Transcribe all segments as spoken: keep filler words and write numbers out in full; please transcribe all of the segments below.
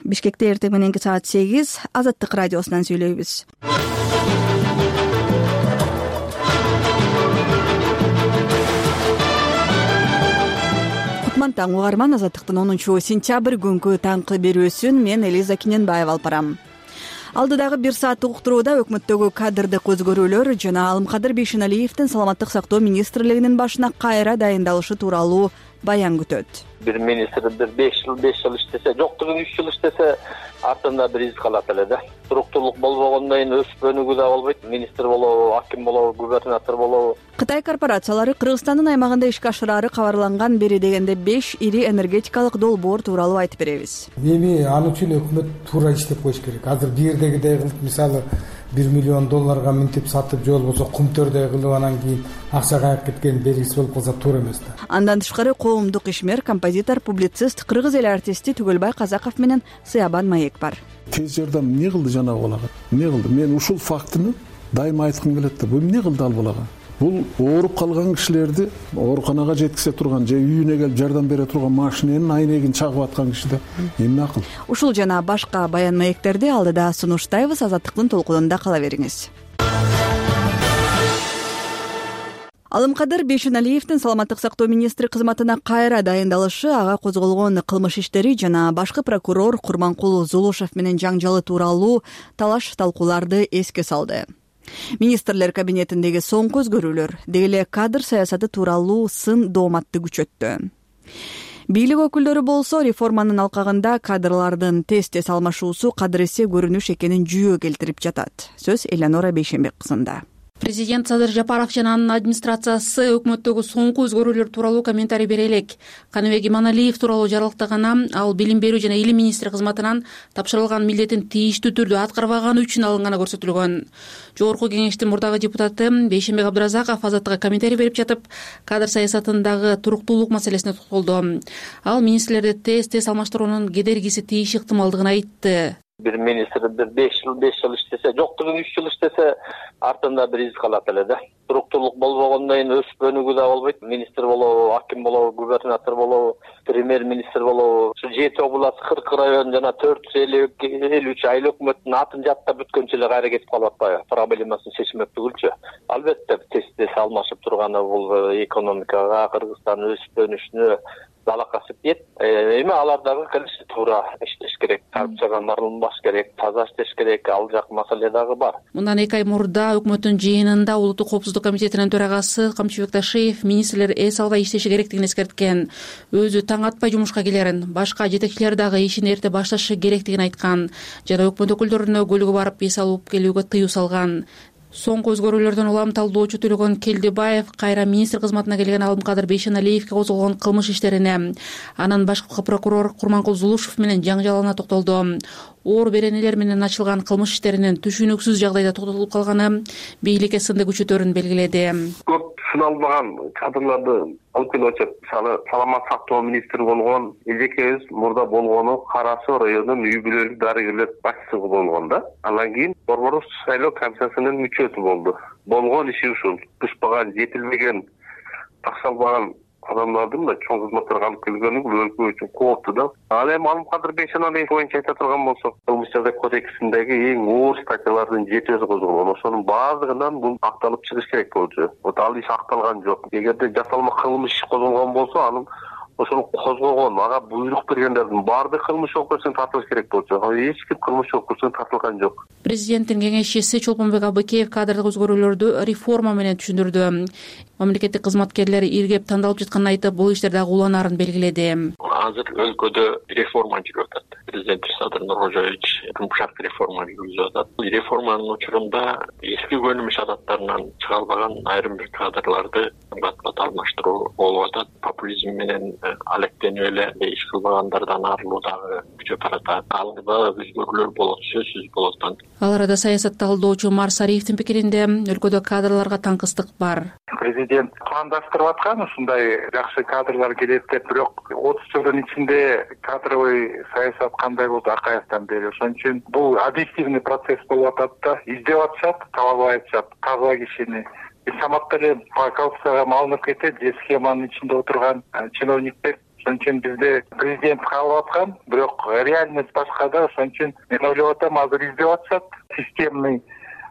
Бишкекте эртең мененки саат сегиз Азаттык радиосунан сүйлөйбүз. Кутман таң угарман, Азаттыктын онунчу сентябрь күнкү таңкы берүүсүн мен Элиза Киненбаева алып барам. Алдыдагы бир сааттык уктурууда өкмөттөгү кадрдык өзгөрүүлөр жана Алымкадыр Бейшеналиевдин Саламаттык сактоо министрлигинин башына кайра дайындалышы тууралуу баян күтөт. Бир министр бир беш жыл беш жыл иштесе, жоктугун үч жыл иштесе, артында бир из калат эле да. Туруктуулук болбогондон кийин өсүп өнүгүү да болбойт. Министр болобу, аким болобу, губернатор болобу. Кытай корпорациялары Кыргызстандын аймагында ишке ашырары кабарланган бери дегенде беш ири энергетикалык долбоор тууралуу айтып беребиз. Эми ал үчүн өкмөт туура иштеп коюш керек. Азыр бирдегидей кылып, мисалы бир миллион долларга минтип сатып, же болбосо кумтөрдөй кылып анан кийин акча кайып кеткен белгисиз болуп калса туура эмес да. Андан тышкары коомдук ишмер, композитор, публицист, кыргыз эл артисти Түгөлбай Казаков менен Сыябан Маек бар. Тез жардам эмне кылды жанагы балага? Эмне кылды? Мен ушул фактыны дайыма айткым келет да. Бул эмне кылды ал балага? Бул ооруп калган кишилерди ооруканага жеткизе турган же үйүнө келип жардам бере турган машиненин айнегин чагып аткан киши да. Эмне акыл? Ушул жана башка баян маектерди алдыда сунуштайбыз. Азаттыктын толкунунда кала бериңиз. Алымкадыр Бейшеналиевдин Саламаттык сактоо министри кызматына кайра дайындалышы, ага козголгон кылмыш иштери жана башкы прокурор Курманкул Зулушев менен жаңжалы тууралуу талаш талкууларды эске салды. Министрлер кабинетиндеги соңку өзгөрүүлөр деги эле кадр саясаты тууралуу сын дооматты күчөттү. Бийлик өкүлдөрү болсо реформанын алкагында кадрлардын тез-тез алмашуусу кадыресе көрүнүш экенин жүйө келтирип жатат. Сөз Элеонора Бейшенбек кызында. Президент Садыр Жапаров жана анын администрациясы өкмөттөгү соңку өзгөрүүлөр тууралуу комментарий бере элек. Каныбек Иманалиев тууралуу жарыялаганда ал билим берүү жана илим министри кызматынан тапшырылган милдетин тийиштүү түрдө аткарбаганы үчүн алынганы көрсөтүлгөн. Жогорку кеңештин мурдагы депутаты Бейшенбек Абдыразаков Азаттыкка комментарий берип жатып, кадр саясатындагы туруктуулук маселесине токтолду. Ал министрлерди тез-тез алмаштыруунун кедергиси тийиш ыктымалдыгын айтты. Бир министр бир беш жыл беш жыл иштесе, жоктугун үч жыл иштесе, артында бир из калат эле да. Туруктуулук болбогондон кийин өсүп өнүгүү да болбойт. Министр болобу, аким болобу, губернатор болобу, премьер-министр болобу. Ушу жети область, кырк район жана төрт жүз элүү үч айыл өкмөттүн атын жаттап бүткөнчө эле кайра кетип калып атпайбы? Проблемасын чечмек түгүлчү. Албетте тез-тез алмашып турганы бул экономикага, Кыргызстандын өсүп өнүшүнө далакасы тиет. Эми алар дагы келиши туура иштеш керек. Коррупцияга марылынбаш керек, таза иштеш керек. Ал жак маселе дагы бар. Мындан эки ай мурда өкмөттүн жыйынында Улуттук коопсуздук комитетинин төрагасы Камчыбек Ташиев министрлер эс албай иштеши керектигин эскерткен. Өзү таң атпай жумушка келерин, башка жетекчилер дагы ишин эрте башташы керектигин айткан жана өкмөт өкүлдөрүнө көлүгү барып эс алып келүүгө тыюу салган. Соңку өзгөрүүлөрдөн улам талдоочу Төлөгөн Келдибаев кайра министр кызматына келген Алымкадыр Бейшеналиевге козголгон кылмыш иштерине, анан башкы прокурор Курманкул Зулушев менен жаңжалына токтолду. Оор беренелер менен ачылган кылмыш иштеринин түшүнүксүз жагдайда токтотулуп калганы бийликке сынды күчөтөрүн белгиледи. Көп сыналбаган кадрларды алып келип атышат. Мисалы, Саламаттык сактоо министри болгон эжекебиз мурда болгону Карасу районунун үй бүлөлүк дарыгерлер башчысы болгон да. Андан кийин Борбордук шайлоо комиссиясынын мүчөсү болду. Болгон иши ушул. Бышпаган, жетилбеген, такшалбаган адамдардын да чоң кызматтарга алып келгени бул өлкө үчүн кооптуу да. Ал эми Алымкадыр Бейшеналиев боюнча айта турган болсок, кылмыш жаза кодексиндеги эң оор статьялардын жетөөсү козголгон. Ошонун баардыгынан бул акталып чыгыш керек болчу. Вот ал иш акталган жок. Эгерде жасалма кылмыш козголгон болсо, анын ошону козгогон, ага буйрук бергендердин баардык кылмыш жоопкерчиликке тартылыш керек болчу. Эч ким кылмыш жоопкерчиликке тартылган жок. Президенттин кеңешчиси Чолпонбек Абыкеев кадрдык өзгөрүүлөрдү реформа менен түшүндүрдү. Мамлекеттик кызматкерлер иргеп тандалып жатканын айтып, бул иштерде дагы уланаарын белгиледи. Азыр өлкөдө реформа жүрүп атат. Президент Садыр Нуркожоевич жумшак реформа жүргүзүп атат. Реформанын учурунда эски көнүмүш адаттарынан чыга албаган айрым бир кадрларды бат-бат алмаштыруу болуп атат. Популизм менен алектенип эле иш кылбагандардан арылуу дагы күчөп баратат. Алда өзгөрүүлөр болот, сөзсүз болот. Ал арада саясат талдоочу Марс Ариевдин пикиринде өлкөдө кадрларга таңкыстык бар. Президент пландаштырып аткан ушундай жакшы кадрлар келет деп, бирок отуз жылдын ичинде кадровый саясат кандай болду Акаевден бери. Ошон үчүн бул объективный процесс болуп атат да. Издеп атышат, таба албай атышат таза кишини. Саматта эле коррупцияга малынып кетет, же схеманын ичинде отурган чиновниктер Ошон үчүн бизде президент каалап аткан, бирок реальность башка да. Ошон үчүн мен ойлоп атам, азыр издеп атышат. Системный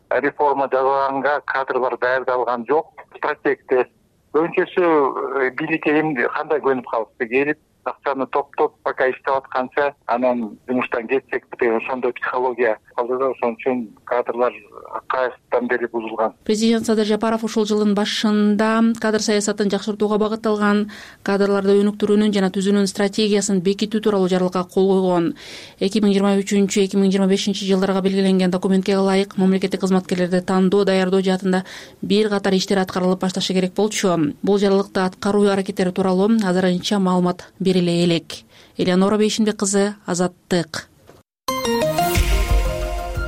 реформа жасаганга кадрлар даярдалган жок. Стратегде көбүнчөсү бийликке эмне кандай көнүп калышты, келип акчаны топтоп пока иштеп атканча анан жумуштан кетсек деген ошондой психология калды да. Ошон үчүн кадрлар акаевтан бери бузулган. Президент Садыр Жапаров ушул жылдын башында кадр саясатын жакшыртууга багытталган кадрларды өнүктүрүүнүн жана түзүүнүн стратегиясын бекитүү тууралуу жарлыкка кол койгон. эки миң жыйырма үчүнчү эки миң жыйырма бешинчи жылдарга белгиленген документке ылайык мамлекеттик кызматкерлерди тандоо даярдоо жаатында бир катар иштер аткарылып башташы керек болчу. Бул жарлыкта аткаруу аракеттери тууралуу азырынча маалымат бериле элек. Элеонора Бейшинбек кызы, Азаттык.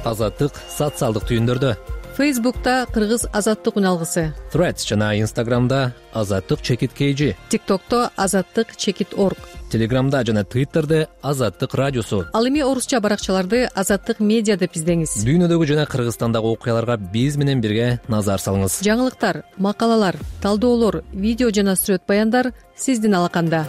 Азаттык социалдык түйүндөрдө. Фейсбукта Кыргыз Азаттык үналгысы. Threads жана Instagramда Азаттык чекит kg. TikTokто Азаттык чекит org. Телеграмда жана Twitterде Азаттык радиосу. Ал эми орусча баракчаларды Азаттык медиа деп издеңиз. Дүйнөдөгү жана Кыргызстандагы окуяларга биз менен бирге назар салыңыз. Жаңылыктар, макалалар, талдоолор, видео жана сүрөт баяндар сиздин алаканда.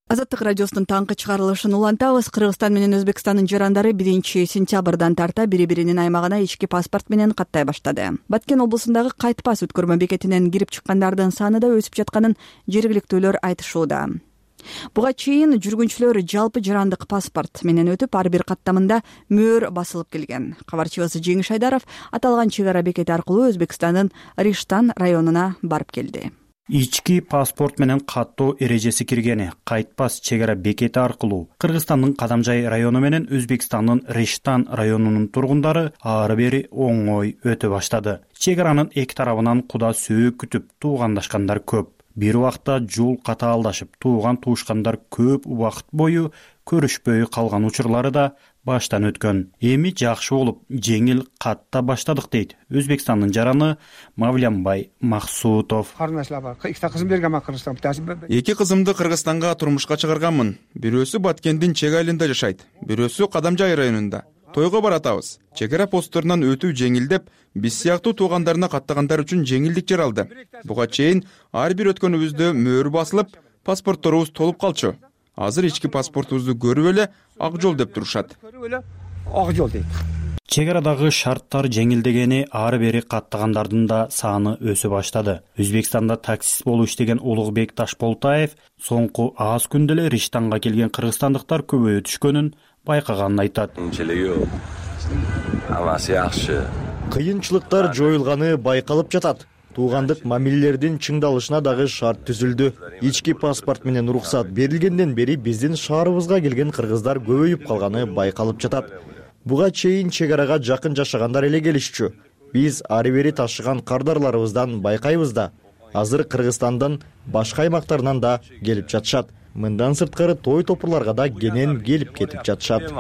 Азаттык радиосунун таңкы чыгарылышын улантабыз. Кыргызстан менен Өзбекстандын жарандары биринчи сентябрдан тарта бири-биринин аймагына ички паспорт менен каттай баштады. Баткен облусундагы кайтпас өткөрмө бекетинен кирип чыккандардын саны да өсүп жатканын жергиликтүүлөр айтышууда. Буга чейин жүргүнчүлөр жалпы жарандык паспорт менен өтүп, ар бир каттамында мөөр басылып келген. Кабарчыбыз Жеңиш Айдаров аталган чек ара бекети аркылуу Өзбекстандын Риштан районуна барып келди. Ички паспорт менен каттоо эрежеси киргени кайтпас чек ара бекети аркылуу Кыргызстандын Кадамжай району менен Өзбекстандын Риштан районунун тургундары ары бери оңой өтө баштады. Чек аранын эки тарабынан куда сөөк күтүп туугандашкандар көп. Бир убакта жол катаалдашып, тууган туушкандар көп убакыт бою көрүшпөй калган учурлары да баштан өткөн. Эми жакшы болуп, жеңил катта баштадык дейт Өзбекстандын жараны Мавлянбай Максутов. Эки кызымды Кыргызстанга турмушка чыгарганмын. Бирөөсү Баткендин чек айылында жашайт, бирөөсү Кадамжай районунда. Тойго баратабыз. Чек ара постторунан өтүү жеңилдеп, биз сыяктуу туугандарына каттагандар үчүн жеңилдик жаралды. Буга чейин ар бир өткөнүбүздө мөөр басылып, паспортторубуз толуп калчу. Азыр ички паспортубузду көрүп эле ак жол деп турушат. Ак жол дейт. Чек арадагы шарттар жеңилдегени ары бери каттагандардын да саны өсө баштады. Өзбекстанда таксист болуп иштеген Улугбек Ташполтаев соңку аз күндө эле Риштанга келген кыргызстандыктар көбөйө түшкөнүн байкаганын айтат. Кыйынчылыктар жоюлганы байкалып жатат. Туугандык мамилелердин чыңдалышына дагы шарт түзүлдү. Ички паспорт менен уруксат берилгенден бери биздин шаарыбызга келген кыргыздар көбөйүп калганы байкалып жатат. Буга чейин чек арага жакын жашагандар эле келишчү. Биз ары бери ташыган кардарларыбыздан байкайбыз да. Азыр Кыргызстандын башка аймактарынан да келип жатышат. Мындан сырткары той топурларга да кенен келип кетип жатышат.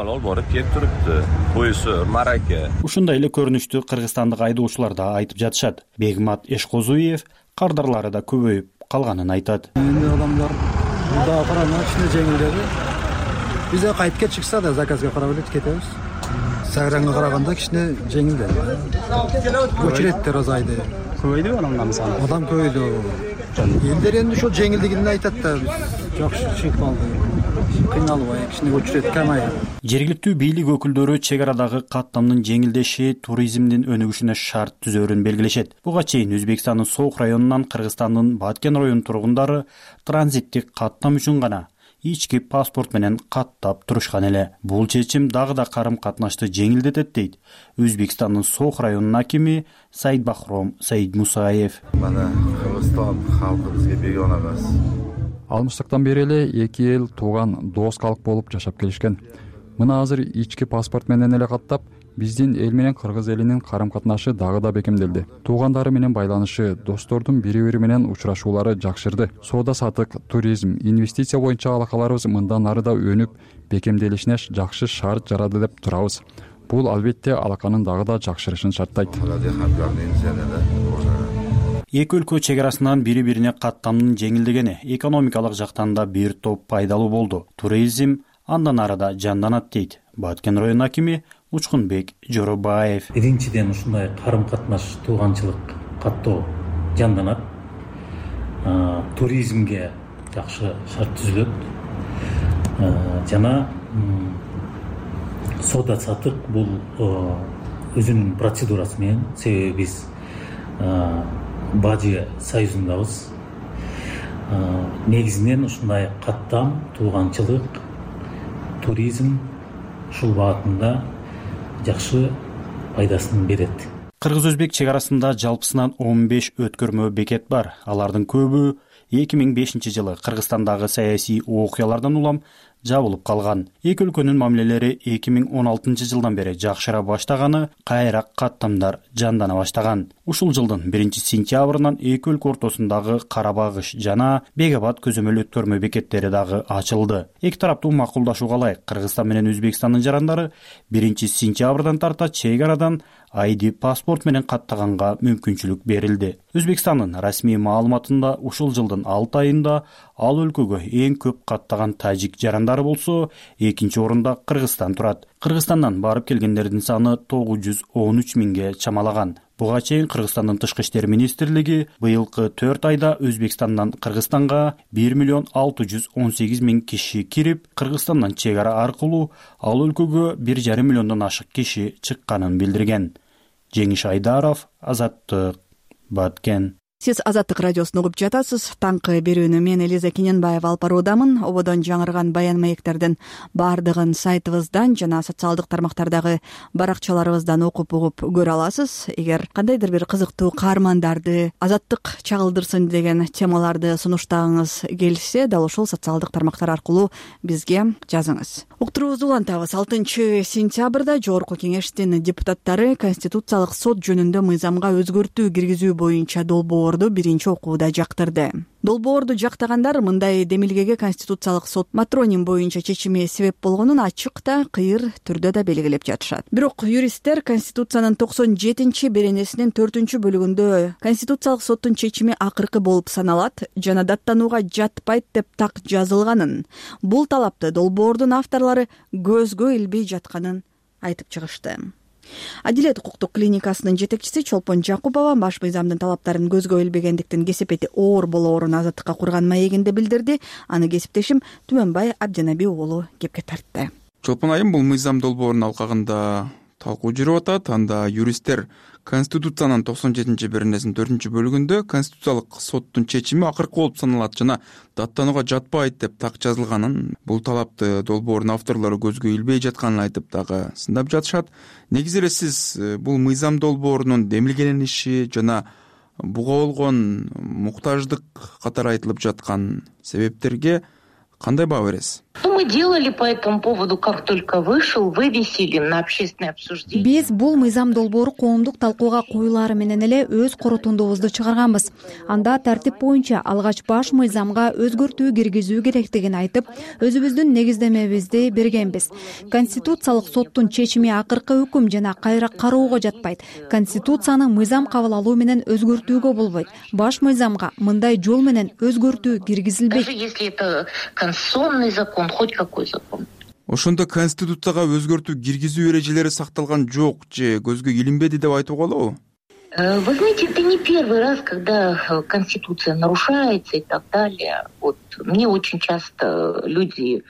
Ушундай эле көрүнүштү кыргызстандык айдоочулар да айтып жатышат. Бегмат Эшкозуев кардарлары да көбөйүп калганын айтат. Эми адамдар мында карана кичине жеңилдеди. Бизде кайтып чыкса да заказга карап эле кетебиз. Сайранга караганда кичине жеңилдеди. Очередтер азайды. Көбөйдүбү адамдардын саны? Адам көбөйдү. Элдер энди ошол жеңилдигин айтат да, жакшы чыгып калды. Кыйналбай, кичине очеред камайып. Жергиликтүү бийлик өкүлдөрү чек арадагы каттамдын жеңилдеши туризмдин өнүгүшүнө шарт түзөөрүн белгилешет. Буга чейин Өзбекстандын Сооқ районунан Кыргызстандын Баткен районунун тургундары транзиттик каттам үчүн гана ички паспорт менен каттап турушкан эле. Бул чечим дагы да карым катнашты жеңилдетет дейт Өзбекстандын Сооқ районунун акими Сайдбахром Сайдмусаев. Мана Кыргызстан халкы бизге бегона эмес. Алмыштыктан бери эле эки эл тууган дос калк болуп жашап келишкен. Мына азыр ички паспорт менен эле каттап, биздин эл менен кыргыз элинин карым катнашы дагы да бекемделди. Туугандары менен байланышы, достордун бири-бири менен учурашуулары жакшырды. Соода сатык, туризм, инвестиция боюнча алакаларыбыз мындан ары да өнүп, бекемделишине жакшы шарт жарады деп турабыз. Бул албетте алаканын дагы да жакшырышын шарттайт. Эки өлкө чек арасынан бири-бирине каттамдын жеңилдегени экономикалык жактан да бир топ пайдалуу болду. Туризм андан ары да жанданат дейт Баткен районунун акими Учкунбек Жоробаев. Биринчиден ушундай карым катнаш, тууганчылык каттоо жанданат. Туризмге жакшы шарт түзүлөт. Жана соода саттык бул өзүнүн процедурасы менен, себеби биз Бажы союзундабыз. Негизинен ушундай каттам, тууганчылык, туризм ушул багытында жакшы пайдасын берет. Кыргыз-өзбек чек арасында жалпысынан он беш өткөрмө бекет бар. Алардын көбү эки миң бешинчи жылы Кыргызстандагы саясий окуялардан улам жабылып калган. Эки өлкөнүн мамилелери эки миң он алтынчы жылдан бери жакшыра баштаганы, кайра каттамдар жандана баштаган. Ушул жылдын биринчи сентябрынан эки өлкө ортосундагы Карабагыш жана Бегабад көзөмөл өткөрмө бекеттери дагы ачылды. Эки тараптуу макулдашууга ылайык Кыргызстан менен Өзбекстандын жарандары биринчи сентябрдан тарта чек арадан ай ди паспорт менен каттаганга мүмкүнчүлүк берилди. Өзбекстандын расмий маалыматында ушул жылдын алты айында ал өлкөгө эң көп каттаган тажик жарандары болсо, экинчи орунда Кыргызстан турат. Кыргызстандан барып келгендердин саны тогуз жүз он үч миңге чамалаган. Буга чейин Кыргызстандын тышкы иштер министрлиги быйылкы төрт айда Өзбекстандан Кыргызстанга бир миллион алты жүз он сегиз миң киши кирип, Кыргызстандан чек ара аркылуу ал өлкөгө бир жарым миллиондон ашык киши чыкканын билдирген. Жеңиш Айдаров, Азаттык, Баткен. Сиз Азаттык радиосун угуп жатасыз. Таңкы берүүнү мен Элиза Кененбаева алып баруудамын. Ободон жаңырган баян маектердин бардыгын сайтыбыздан жана социалдык тармактардагы баракчаларыбыздан окуп угуп көрө аласыз. Эгер кандайдыр бир кызыктуу каармандарды Азаттык чагылдырсын деген темаларды сунуштагыңыз келсе, дал ушул социалдык тармактар аркылуу бизге жазыңыз. Уктуруубузду улантабыз. алтынчы сентябрда Жогорку Кеңештин депутаттары Конституциялык сот жөнүндө мыйзамга өзгөртүү киргизүү боюнча долбоор биринчи окууда жактырды. Долбоорду жактагандар мындай демилгеге Конституциялык сот матроним боюнча чечими себеп болгонун ачык да, кыйыр түрдө да белгилеп жатышат. Бирок юристтер Конституциянын токсон жетинчи беренесинин төртүнчү бөлүгүндө Конституциялык соттун чечими акыркы болуп саналат жана даттанууга жатпайт деп так жазылганын, бул талапты долбоордун авторлору көзгө илбей жатканын айтып чыгышты. Адилет укуктук клиникасынын жетекчиси Чолпон Жакупова баш мыйзамдын талаптарын көзгө илбегендиктин кесепети оор болоорун Азаттыкка курган маегинде билдирди. Аны кесиптешим Түмөнбай Абдинаби уулу кепке тартты. Чолпон айым, бул мыйзам долбоорунун алкагында талкуу жүрүп атат. Анда юристтер Конституциянын токсон жетинчи беренесинин төртүнчү бөлүгүндө Конституциялык соттун чечими акыркы болуп саналат жана даттанууга жатпайт деп так жазылганын, бул талапты долбоордун авторлору көзгө илбей жатканын айтып дагы сындап жатышат. Негизи эле сиз бул мыйзам долбоорунун демилгелениши жана буга болгон муктаждык катары айтылып жаткан себептерге кандай баа бересиз? Мы делали по этому поводу, как только вышел, вывесили на общественное обсуждение. Биз бул мыйзам долбоору коомдук талкууга коюлаары менен эле өз корутундубузду чыгарганбыз. Анда тартип боюнча алгач баш мыйзамга өзгөртүү киргизүү керектигин айтып, өзүбүздүн негиздемебизди бергенбиз. Конституциялык соттун чечими акыркы өкүм жана кайра кароого жатпайт. Конституцияны мыйзам кабыл алуу менен өзгөртүүгө болбойт. Баш мыйзамга мындай жол менен өзгөртүү киргизилбейт. Даже если это конституционный закон, хоть какой закон. Ошондо Конституцияга өзгөртүү киргизүү эрежелери сакталган жок же көзгө илинбеди деп айтууга болобу? Вы знаете, это не первый раз, когда Конституция нарушается и так далее. Вот мне очень часто люди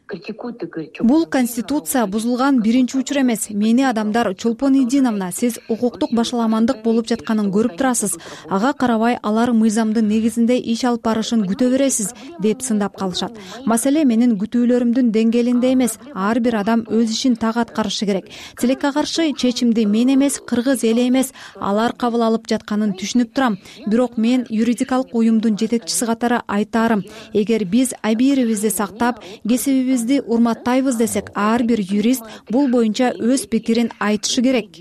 критикуют и говорят, что... Бул конституция бузулган биринчи учур эмес. Мени адамдар Чолпон Идиновна, сиз укуктук башаламандык болуп жатканын көрүп турасыз. Ага карабай алар мыйзамдын негизинде иш алып барышын күтө бересиз деп сындап калышат. Маселе менин күтүүлөрүмдүн деңгээлинде эмес. Ар бир адам өз ишин так аткарышы керек. Тилекке каршы чечимди мен эмес, кыргыз эли эмес, алар кабыл алып жатканын түшүнүп турам. Бирок мен юридикалык уюмдун жетекчиси катары айтаарым, эгер биз абийирибизди сактап, кесибибизди урматтайбыз десек, ар бир юрист бул боюнча өз пикирин айтышы керек.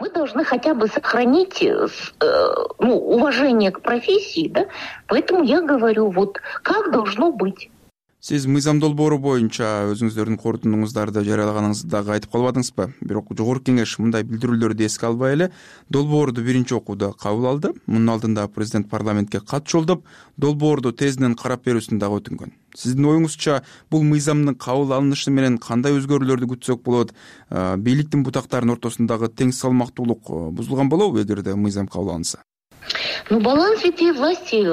Мы должны хотя бы сохранить э, ну, уважение к профессии, да? Поэтому я говорю, вот как должно быть. Сиз мыйзам долбоору боюнча өзүңүздөрдүн корутундуңуздарды жарыялаганыңызды дагы айтып калбадыңызбы? Бирок жогорку кеңеш мындай билдирүүлөрдү эске албай эле долбоорду биринчи окууда кабыл алды. Мунун алдында президент парламентке кат жолдоп, долбоорду тезинен карап берүүсүн дагы өтүнгөн. Сиздин оюңузча бул мыйзамдын кабыл алынышы менен кандай өзгөрүүлөрдү күтсөк болот? Бийликтин бутактарынын ортосундагы тең салмактуулук бузулган болобу эгерде мыйзам кабыл алынса? Ну, баланс ветвей власти,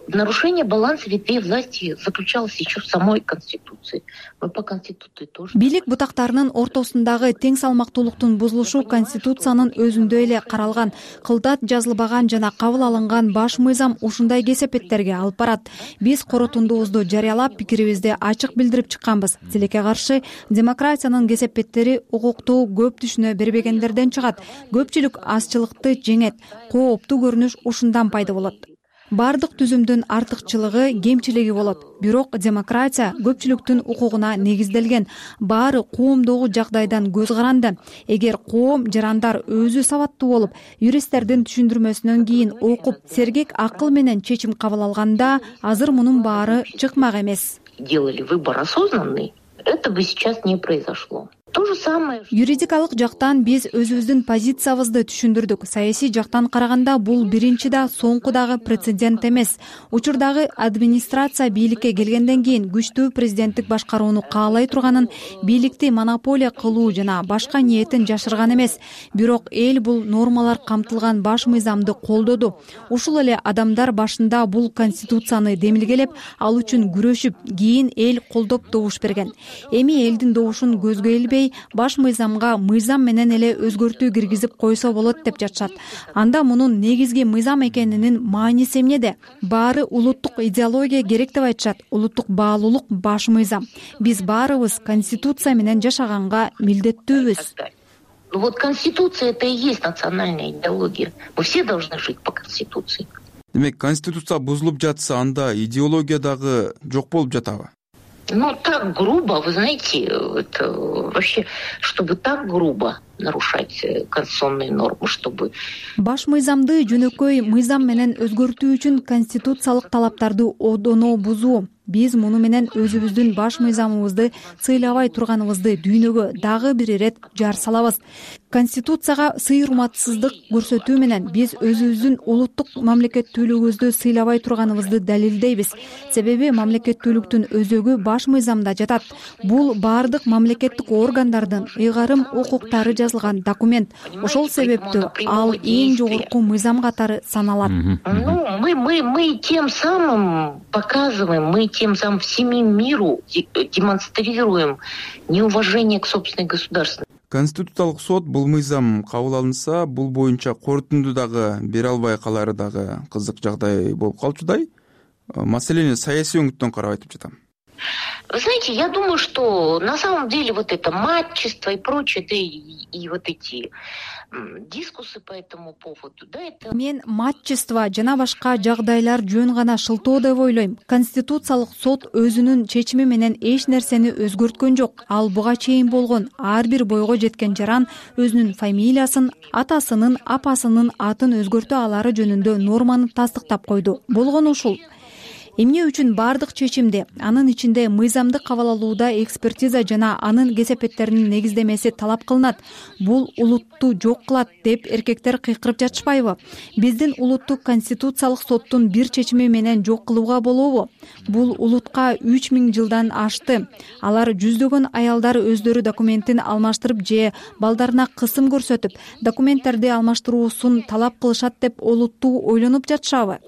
нарушение баланса ветвей власти заключалось еще в самой Конституции. Мы по Конституции тоже. Бийлик бутактарынын ортосундагы тең салмактуулуктун бузулушу Конституциянын өзүндө эле каралган. Кылдат жазылбаган жана кабыл алынган баш мыйзам ушундай кесепеттерге алып барат. Биз корутундубузду жарыялап, пикирибизди ачык билдирип чыкканбыз. Тилекке каршы демократиянын кесепеттери укукту көп түшүнө бербегендерден чыгат. Көпчүлүк азчылыкты жеңет, кооптуу көрүнүш ушундан пайда болот. Бардык түзүмдүн артыкчылыгы, кемчилиги болот. Бирок демократия көпчүлүктүн укугуна негизделген. Баары коомдогу жагдайдан көз каранды. Эгер коом жарандар өзү сабаттуу болуп, юристтердин түшүндүрмөсүнөн кийин окуп, сергек акыл менен чечим кабыл алганда, азыр мунун баары чыкмак эмес. Делали выбор осознанный, это бы сейчас не произошло. То же самое. Юридикалык жактан биз өзүбүздүн позициябызды түшүндүрдүк. Саясий жактан караганда бул биринчи да соңку дагы прецедент эмес. Учурдагы администрация бийликке келгенден кийин күчтүү президенттик башкарууну каалай турганын, бийликти монополия кылуу жана башка ниетин жашырган эмес. Бирок эл бул нормалар камтылган баш мыйзамды колдоду. Ушул эле адамдар башында бул конституцияны демилгелеп, ал үчүн күрөшүп, кийин эл колдоп добуш берген. Эми элдин добушун көзгө илбей, баш мыйзамга мыйзам менен эле өзгөртүү киргизип койсо болот деп жатышат. Анда мунун негизги мыйзам экенинин мааниси эмнеде? Баары улуттук идеология керек деп айтышат. Улуттук баалуулук баш мыйзам. Биз баарыбыз конституция менен жашаганга милдеттүүбүз. Ну вот конституция это и есть национальная идеология. Мы все должны жить по конституции. Демек, конституция бузулуп жатса, анда идеология дагы жок болуп жатабы? Ну, так грубо, вы знаете, это вообще, чтобы так грубо нарушать конституционные нормы, чтобы... Баш мыйзамды жөнөкөй мыйзам менен өзгөртүү үчүн конституциялык талаптарды одоно бузуу. Биз муну менен өзүбүздүн баш мыйзамыбызды сыйлабай турганыбызды дүйнөгө дагы бир ирет жар салабыз. Конституцияга сый урматсыздык көрсөтүү менен биз өзүбүздүн улуттук мамлекеттүүлүгүбүздү сыйлабай турганыбызды далилдейбиз. Себеби мамлекеттүүлүктүн өзөгү баш мыйзамда жатат. Бул баардык мамлекеттик органдардын ыйгарым укуктары жазылган документ. Ошол себептүү ал эң жогорку мыйзам катары саналат. Ну, мы мы мы тем самым показываем, мы тем самым всему миру демонстрируем неуважение к собственной государственности. Конституциялык сот бул мыйзам кабыл алынса, бул боюнча корутунду дагы бере албай калары дагы кызык жагдай болуп калчудай. Маселени саясий өңүттөн карап айтып жатам. Вы знаете, я думаю, что на самом деле вот это матчество и прочее, да и, и вот эти дискусы по этому поводу, да, это... Мен матчество жана башка жагдайлар жөн гана шылтоо деп ойлойм. Конституциялык сот өзүнүн чечими менен эч нерсени өзгөрткөн жок. Ал буга чейин болгон ар бир бойго жеткен жаран өзүнүн фамилиясын, атасынын, апасынын атын өзгөртө алары жөнүндө норманы тастыктап койду. Болгон ушул. Эмне үчүн бардык чечимде, анын ичинде мыйзамды кабыл алууда экспертиза жана анын кесепеттеринин негиздемеси талап кылынат. Бул улутту жок кылат деп эркектер кыйкырып жатышпайбы? Биздин улуттук конституциялык соттун бир чечими менен жок кылууга болобу? Бул улутка үч миң жылдан ашты. Алар жүздөгөн аялдар өздөрү документин алмаштырып же балдарына кысым көрсөтүп, документтерди алмаштыруусун талап кылышат деп олуттуу ойлонуп жатышабы?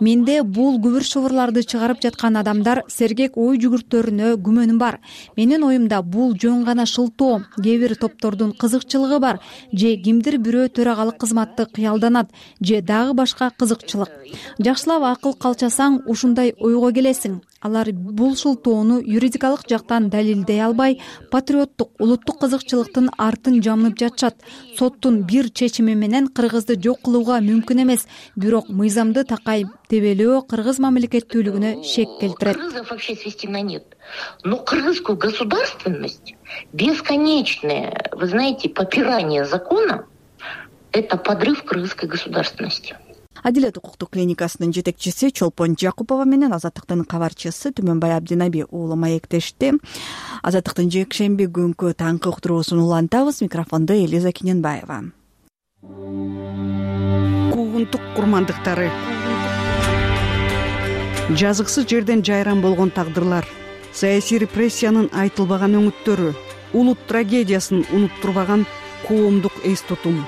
Менде бул күбүр шыбырларды чыгарып жаткан адамдар сергек ой жүгүртөрүнө күмөнүм бар. Менин оюмда бул жөн гана шылтоо, кээ бир топтордун кызыкчылыгы бар, же кимдир бирөө төрагалык кызматты кыялданат, же дагы башка кызыкчылык. Жакшылап акыл калчасаң ушундай ойго келесиң. Алар бул шылтоону юридикалык жактан далилдей албай, патриоттук, улуттук кызыкчылыктын артын жамнып жатышат. Соттун бир чечими менен кыргызды жок кылууга мүмкүн эмес, бирок мыйзамды такай тебелөө кыргыз мамлекеттүүлүгүнө шек келтирет. Кыргызов вообще свести на нет. Но кыргызскую государственность, бесконечное, вы знаете, попирание закона, это подрыв кыргызской государственности. Адилет укуктук клиникасынын жетекчиси Чолпон Жакупова менен Азаттыктын кабарчысы Түмөнбай Абдинаби уулу маектешти. Азаттыктын жекшемби күнкү таңкы уктуруусун улантабыз. Микрофондо Элиза Киненбаева. Куугунтук курмандыктары, жазыксыз жерден жайран болгон тагдырлар, саясий репрессиянын айтылбаган өңүттөрү, улут трагедиясын унуттурбаган коомдук эс тутум.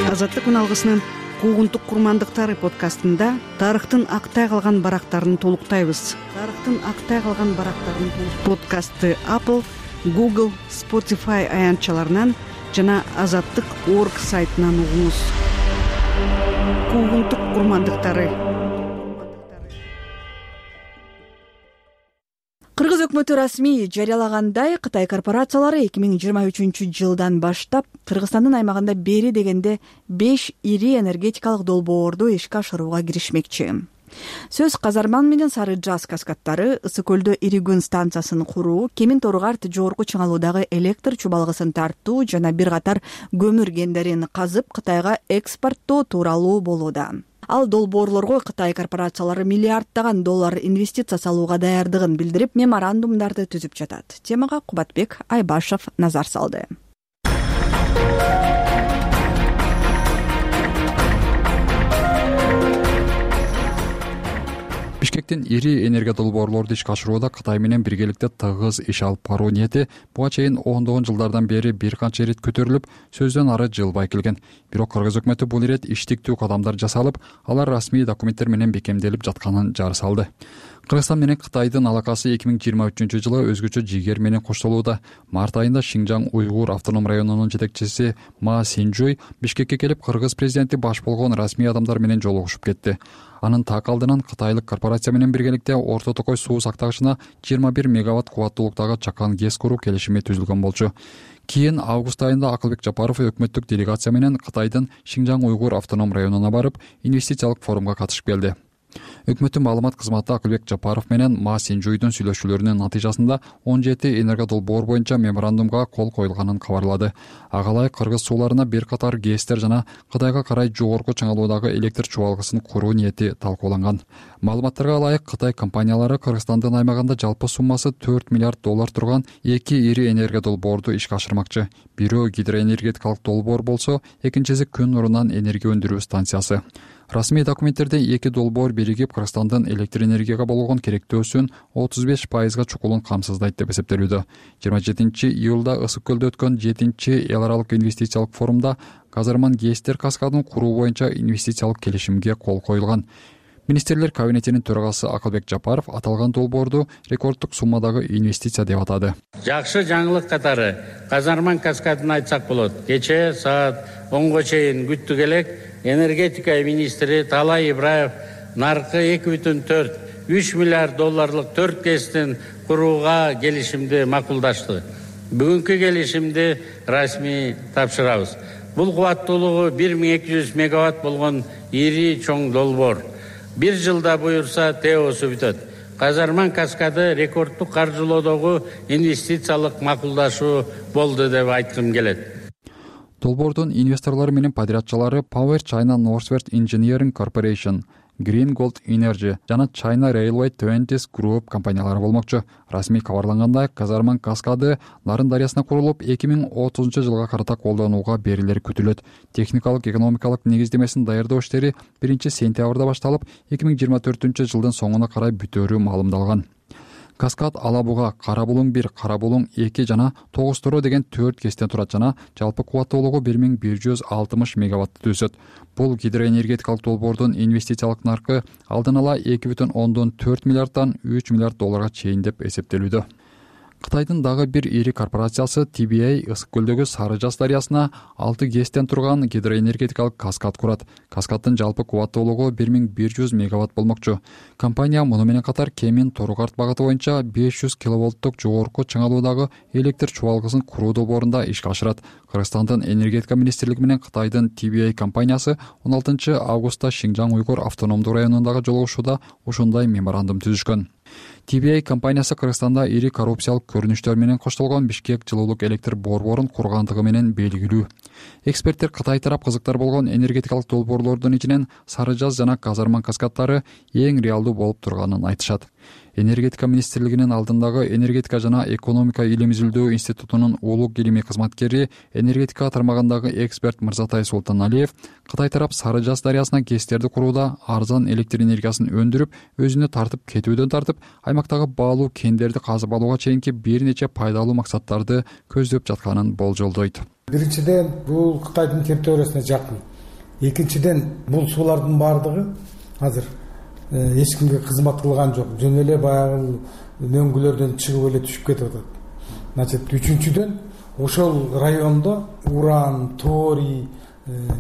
Азаттык үналгысынын Куугунтук курмандыктары подкастында тарыхтын актай калган барактарын толуктайбыз. Тарыхтын актай калган барактарын подкастты Apple, Google, Spotify аянтчаларынан жана азаттык точка орг сайтынан угуңуз. Куугунтук курмандыктары. Кыргыз өкмөтү расмий жарыялагандай, Кытай корпорациялары эки миң жыйырма үчүнчү жылдан баштап Кыргызстандын аймагында бери дегенде беш ири энергетикалык долбоорду ишке ашырууга киришмекчи. Сөз Казарман менен Сары Жаз каскадтары, Ысык көлдө ири күн станциясын куруу, Кемин Торугарт жогорку чыңалуудагы электр чубалгысын тартуу жана бир катар көмүр кендерин казып Кытайга экспорттоо тууралуу болууда. Ал долбоорлорго Кытай корпорациялары миллиарддаган доллар инвестиция салууга даярдыгын билдирип, меморандумдарды түзүп жатат. Темага Кубатбек Айбашев назар салды. Бишкектин ири энергия долбоорлорду ишке ашырууда Кытай менен биргеликте тыгыз иш алып баруу ниети буга чейин ондогон жылдардан бери бир канча ирет көтөрүлүп, сөздөн ары жылбай келген. Бирок Кыргыз өкмөтү бул ирет иштиктүү кадамдар жасалып, алар расмий документтер менен бекемделип жатканын жары салды. Кыргызстан менен Кытайдын алакасы эки миң жыйырма үчүнчү жылы өзгөчө жигер менен коштолууда. Март айында Шинжаң уйгур автоном районунун жетекчиси Ма Синжуй Бишкекке келип, Кыргыз президенти баш болгон расмий адамдар менен жолугушуп кетти. Анын так алдынан кытайлык корпорация менен биргеликте Орто Токой суу сактагычына жыйырма бир мегаватт кубаттуулуктагы чакан ГЭС куруу келишими түзүлгөн болчу. Кийин август айында Акылбек Жапаров өкмөттүк делегация менен Кытайдын Шинжаң уйгур автоном районуна барып, инвестициялык форумга катышып келди. Өкмөттүн маалымат кызматы Акылбек Жапаров менен Ма Синжуйдун сүйлөшүүлөрүнүн натыйжасында он жети энерго долбоор боюнча меморандумга кол коюлганын кабарлады. Ага ылайык Кыргыз сууларына бир катар ГЭСтер жана Кытайга карай жогорку чыңалуудагы электр чубалгысын куруу ниети талкууланган. Маалыматтарга ылайык Кытай компаниялары Кыргызстандын аймагында жалпы суммасы төрт миллиард доллар турган эки ири энергия долбоорду ишке ашырмакчы. Бирөө гидроэнергетикалык долбоор болсо, экинчиси күн нурунан энергия өндүрүү станциясы. Расмий документтерде эки долбоор биригип Кыргызстандын электр энергияга болгон керектөөсүн отуз беш пайызга чукулун камсыздайт деп эсептелүүдө. жыйырма жетинчи июлда Ысык көлдө өткөн жетинчи эл аралык инвестициялык форумда Казарман ГЭСтер каскадын куруу боюнча инвестициялык келишимге кол коюлган. Министрлер кабинетинин төрагасы Акылбек Жапаров аталган долбоорду рекорддук суммадагы инвестиция деп атады. Жакшы жаңылык катары Казарман каскадын айтсак болот. Кечээ саат онго чейин күттүк элек энергетика министри Талай Ибраев наркы эки бүтүн төрт үч миллиард долларлык төрт ГЭСтин курууга келишимди макулдашты. Бүгүнкү келишимди расмий тапшырабыз. Бул кубаттуулугу бир миң эки жүз мегаватт болгон ири чоң долбоор. Бир жылда буюрса теосу бүтөт. Казарман каскады рекорддук каржылоодогу инвестициялык макулдашуу болду деп айткым келет. Долбоордун инвесторлору менен подрядчылары Power China Northwest Engineering Corporation, Green Gold Energy жана China Railway Twenties Group компаниялары болмокчу. Расмий кабарлангандай, Казарман каскады Нарын дарыясына курулуп эки миң отузунчу жылга карата колдонууга берилери күтүлөт. Техникалык экономикалык негиздемесин даярдоо иштери биринчи сентябрда башталып, эки миң жыйырма төртүнчү жылдын соңуна карай бүтөөрү маалымдалган. Каскад Алабуга, Карабулуң бир, Карабулуң эки жана тогуз тороо деген төрт ГЭСтен турат жана жалпы кубаттуулугу бир миң бир жүз алтымыш мегаваттты түзөт. Бул гидроэнергетикалык долбоордун инвестициялык наркы алдын ала эки бүтүн ондон төрт миллиарддан үч миллиард долларга чейин деп эсептелүүдө. Кытайдын дагы бир ири корпорациясы Ти Би Эй Ысык көлдөгү Сары Жаз дарыясына алты ГЭСтен турган гидроэнергетикалык каскад курат. Каскаддын жалпы кубаттуулугу бир миң бир жүз мегаватт болмокчу. Компания муну менен катар Кемин Торугарт багыты боюнча беш жүз киловолттук жогорку чыңалуудагы электр чубалгысын куруу долбоорунда ишке ашырат. Кыргызстандын энергетика министрлиги менен Кытайдын Ти Би Эй компаниясы он алтынчы августта Шинжаң уйгур автономдуу районундагы жолугушууда ушундай меморандум түзүшкөн. Ти Би Эй компаниясы Кыргызстанда ири коррупциялык көрүнүштөр менен коштолгон Бишкек жылуулук электр борборун кургандыгы менен белгилүү. Эксперттер Кытай тарап кызыктар болгон энергетикалык долбоорлордун ичинен Сары Жаз жана Казарман каскаддары эң реалдуу болуп турганын айтышат. Энергетика министрлигинин алдындагы энергетика жана экономика илим изилдөө институтунун улук илимий кызматкери, энергетика тармагындагы эксперт Мырзатай Султаналиев Кытай тарап Сары Жаз дарыясына ГЭСтерди курууда арзан электр энергиясын өндүрүп, өзүнө тартып кетүүдөн тартып, аймактагы баалуу кендерди казып алууга чейинки бир нече пайдалуу максаттарды көздөп жатканын болжолдойт. Биринчиден, бул Кытайдын территориясына жакын. Экинчиден, бул суулардын баардыгы азыр эч кимге кызмат кылган жок. Жөн эле баягы мөңгүлөрдөн чыгып эле түшүп кетип атат. Значит, үчүнчүдөн, ошол райондо уран, торий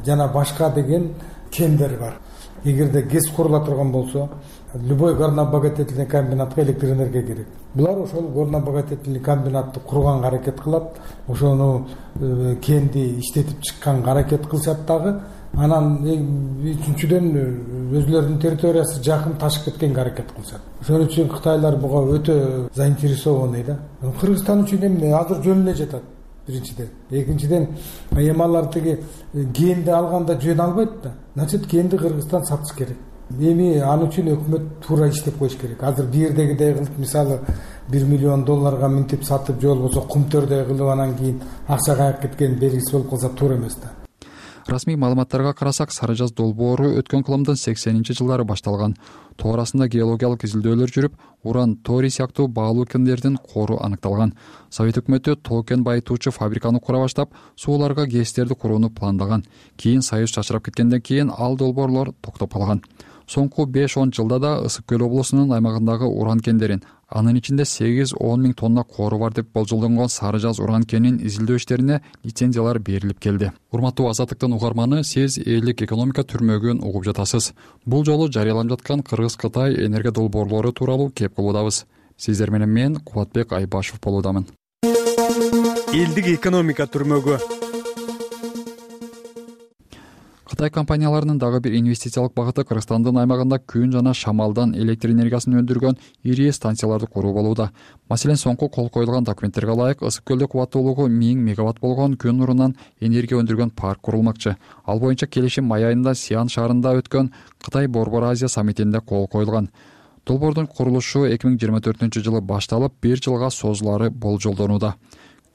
жана башка деген кендер бар. Эгерде ГЭС курула турган болсо, любой горно-обогатительный комбинатка электр энергия керек. Булар ошол горно-обогатительный комбинатты курганга аракет кылат, ошону кенди иштетип чыкканга аракет кылышат дагы. Анан үчүнчүдөн өзүлөрүнүн территориясы жакын ташып кеткенге аракет кылышат. Ошон үчүн кытайлар буга өтө заинтересованный да. Кыргызстан үчүн эмне азыр жөн эле жатат. Биринчиден, экинчиден, эми алар тиги кенди алганда жөн албайт да. Значит, кенди Кыргызстан сатыш керек. Эми ал үчүн өкмөт туура иштеп коюш керек. Азыр бирдегидей кылып, мисалы бир миллион долларга минтип сатып, же болбосо кумтөрдөй кылып анан кийин акча каяк кеткен белгисиз болуп калса туура эмес да. Расмий маалыматтарга карасак, Сары Жаз долбоору өткөн кылымдын сексенинчи жылдары башталган. Тоорасында геологиялык изилдөөлөр жүрүп, уран, торий сыяктуу баалуу кендердин кору аныкталган. Совет өкмөтү тоо кен байытуучу фабриканы кура баштап, сууларга ГЭСтерди курууну пландаган. Кийин Союз чачырап кеткенден кийин ал долбоорлор токтоп калган. Соңку беш он жылда да Ысык көл облусунун аймагындагы уран кендерин, анын ичинде сегиз он миң тонна кору бар деп болжолдонгон Сары Жаз уран кенин изилдөө иштерине лицензиялар берилип келди. Урматтуу Азаттыктын угарманы, сиз элдик экономика түрмөгүн угуп жатасыз. Бул жолу жарыяланып жаткан Кыргыз-Кытай энергия долбоорлору тууралуу кеп кылуудабыз. Сиздер менен мен Кубатбек Айбашев болуудамын. Элдик экономика түрмөгү. Кытай компанияларынын дагы бир инвестициялык багыты Кыргызстандын аймагында күн жана шамалдан электр энергиясын өндүргөн ири станцияларды куруу болууда. Маселен, соңку кол коюлган документтерге ылайык Ысык көлдө кубаттуулугу миң мегаватт болгон күн нурунан энергия өндүргөн парк курулмакчы. Ал боюнча келишим май айында Сиан шаарында өткөн Кытай Борбор Азия саммитинде кол коюлган. Долбоордун курулушу эки миң жыйырма төртүнчү жылы башталып, бир жылга созулары болжолдонууда.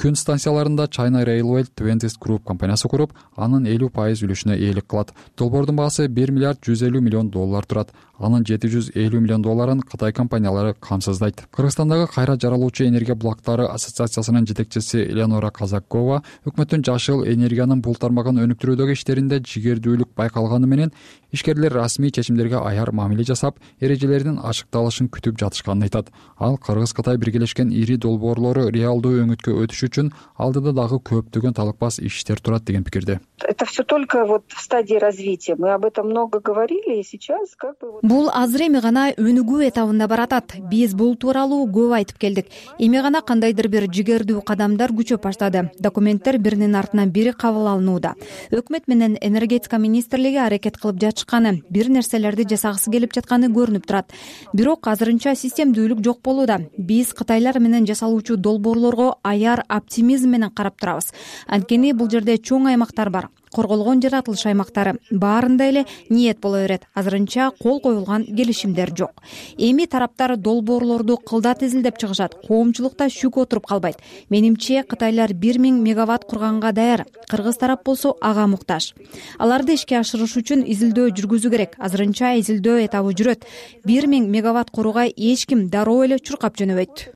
Күн станцияларында China Railway Twentieth Group компаниясы куруп, анын элүү пайыз үлүшүнө ээлик кылат. Долбоордун баасы бир миллиард жүз элүү миллион доллар турат. Анын жети жүз элүү миллион долларын Кытай компаниялары камсыздайт. Кыргызстандагы кайра жаралуучу энергия блоктары ассоциациясынын жетекчиси Элеонора Казакова өкмөттүн жашыл энергиянын бул тармагын өнүктүрүүдөгү иштеринде жигердүүлүк байкалганы менен ишкерлер расмий чечимдерге аяр мамиле жасап, эрежелердин ачыкталышын күтүп жатышканын айтат. Ал Кыргыз-Кытай биргелешкен ири долбоорлору реалдуу өңүткө өтүш үчүн алдыда дагы көптөгөн талыкпас иштер турат деген пикирде. Это все только вот в стадии развития. Мы об этом много говорили, и сейчас как бы... Бул азыр эми гана өнүгүү этабында баратат. Биз бул тууралуу көп айтып келдик. Эми гана кандайдыр бир жигердүү кадамдар күчөп баштады. Документтер биринин артынан бири кабыл алынууда. Өкмөт менен энергетика министрлиги аракет кылып жатышканы, бир нерселерди жасагысы келип жатканы көрүнүп турат. Бирок азырынча системдүүлүк жок болууда. Биз кытайлар менен жасалуучу долбоорлорго аяр оптимизм менен карап турабыз. Анткени бул жерде чоң аймактар бар. Корголгон жаратылыш аймактары баарында эле ниет боло берет. Азырынча кол коюлган келишимдер жок. Эми тараптар долбоорлорду кылдат изилдеп чыгышат. Коомчулукта шүк отуруп калбайт. Менимче Кытайлар бир миң мегаватт курганга даяр. Кыргыз тарап болсо ага муктаж. Аларды ишке ашырыш үчүн изилдөө жүргүзүү керек. Азырынча изилдөө этабы жүрөт. бир миң мегаватт курууга эч ким дароо эле чуркап жөнөбөйт.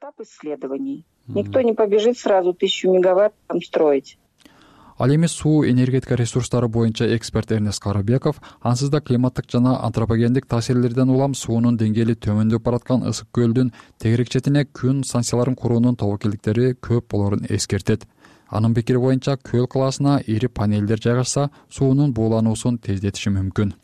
Никто не побежит сразу тысячу мегаватт там строить. Ал эми суу энергетика ресурстары боюнча эксперт Эрнест Карабеков ансыз да климаттык жана антропогендик таасирлерден улам суунун деңгээли төмөндөп бараткан Ысык көлдүн тегерек четине күн станцияларын куруунун тобокелдиктери көп болорун эскертет. Анын пикири боюнча көл калаасына ири панелдер жайгашса, суунун буулануусун тездетиши мүмкүн.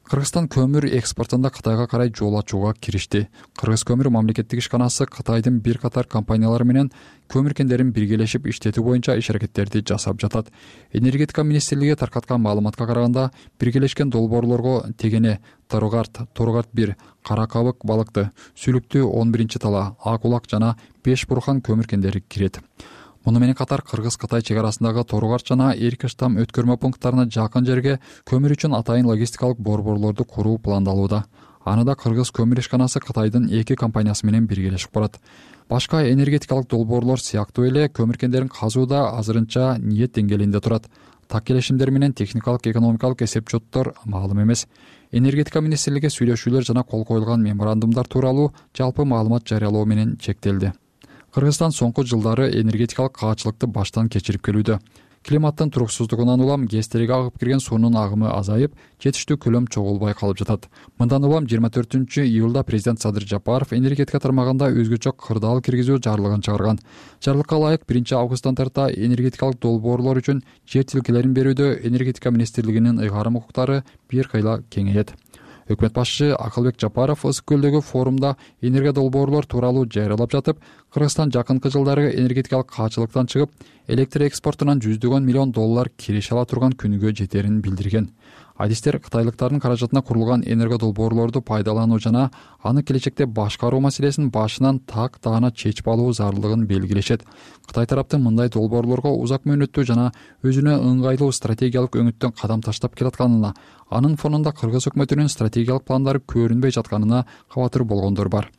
Кыргызстан көмүр экспортунда Кытайга карай жол ачууга киришти. Кыргыз көмүр мамлекеттик ишканасы Кытайдын бир катар компаниялары менен көмүр кендерин биргелешип иштетүү боюнча иш-аракеттерди жасап жатат. Энергетика министрлиги таркаткан маалыматка караганда, биргелешкен долбоорлорго Тегене, Торугарт, Торугарт бир, Кара Кабык балыкты, Сүлүктүү он биринчи тала, Ак улак жана Беш Бурхан көмүр кендери кирет. муну менен катар Кыргыз Кытай чек арасындагы Торугарч жана Эркиштам өткөрмө пункттарына жакын жерге көмүр үчүн атайын логистикалык борборлорду куруу пландалууда. Аны да Кыргыз көмүр ишканасы Кытайдын эки компаниясы менен биргелешип курат. Башка энергетикалык долбоорлор сыяктуу эле көмүркендерин казууда азырынча ниет деңгээлинде турат. Так келишимдер менен техникалык экономикалык эсеп-чоттор маалым эмес. Энергетика министрлиги сүйлөшүүлөр жана кол коюлган меморандумдар тууралуу жалпы маалымат жарыялоо менен чектелди. Кыргызстан соңку жылдары энергетикалык каачылыкты баштан кечирип келүүдө. Климаттын туруксуздугунан улам ГЭСтерге агып кирген суунун агымы азайып, жетиштүү көлөм чогулбай калып жатат. Мындан улам жыйырма төртүнчү июлда президент Садыр Жапаров энергетика тармагында өзгөчө кырдаал киргизүү жарлыгын чыгарган. Жарлыкка ылайык биринчи августтан тарта энергетикалык долбоорлор үчүн жер тилкелерин берүүдө энергетика министрлигинин ыйгарым укуктары бир кыйла кеңейет. Өкмөт башчысы Акылбек Жапаров Ысык көлдөгү форумда энергия долбоорлор тууралуу жарыялап жатып, Кыргызстан жакынкы жылдары энергетикалык каачылыктан чыгып, электр экспортунан жүздөгөн миллион доллар киреше ала турган күнгө жетерин билдирген. Адистер кытайлыктардын каражатына курулган энергия долбоорлорду пайдалануу жана аны келечекте башкаруу маселесин башынан так даана чечип алуу зарылдыгын белгилешет. Кытай тараптын мындай долбоорлорго узак мөөнөттүү жана өзүнө ыңгайлуу стратегиялык өңүттөн кадам таштап келатканына, анын фонунда Кыргыз өкмөтүнүн стратегиялык пландары көрүнбөй жатканына кабатыр болгондор бар.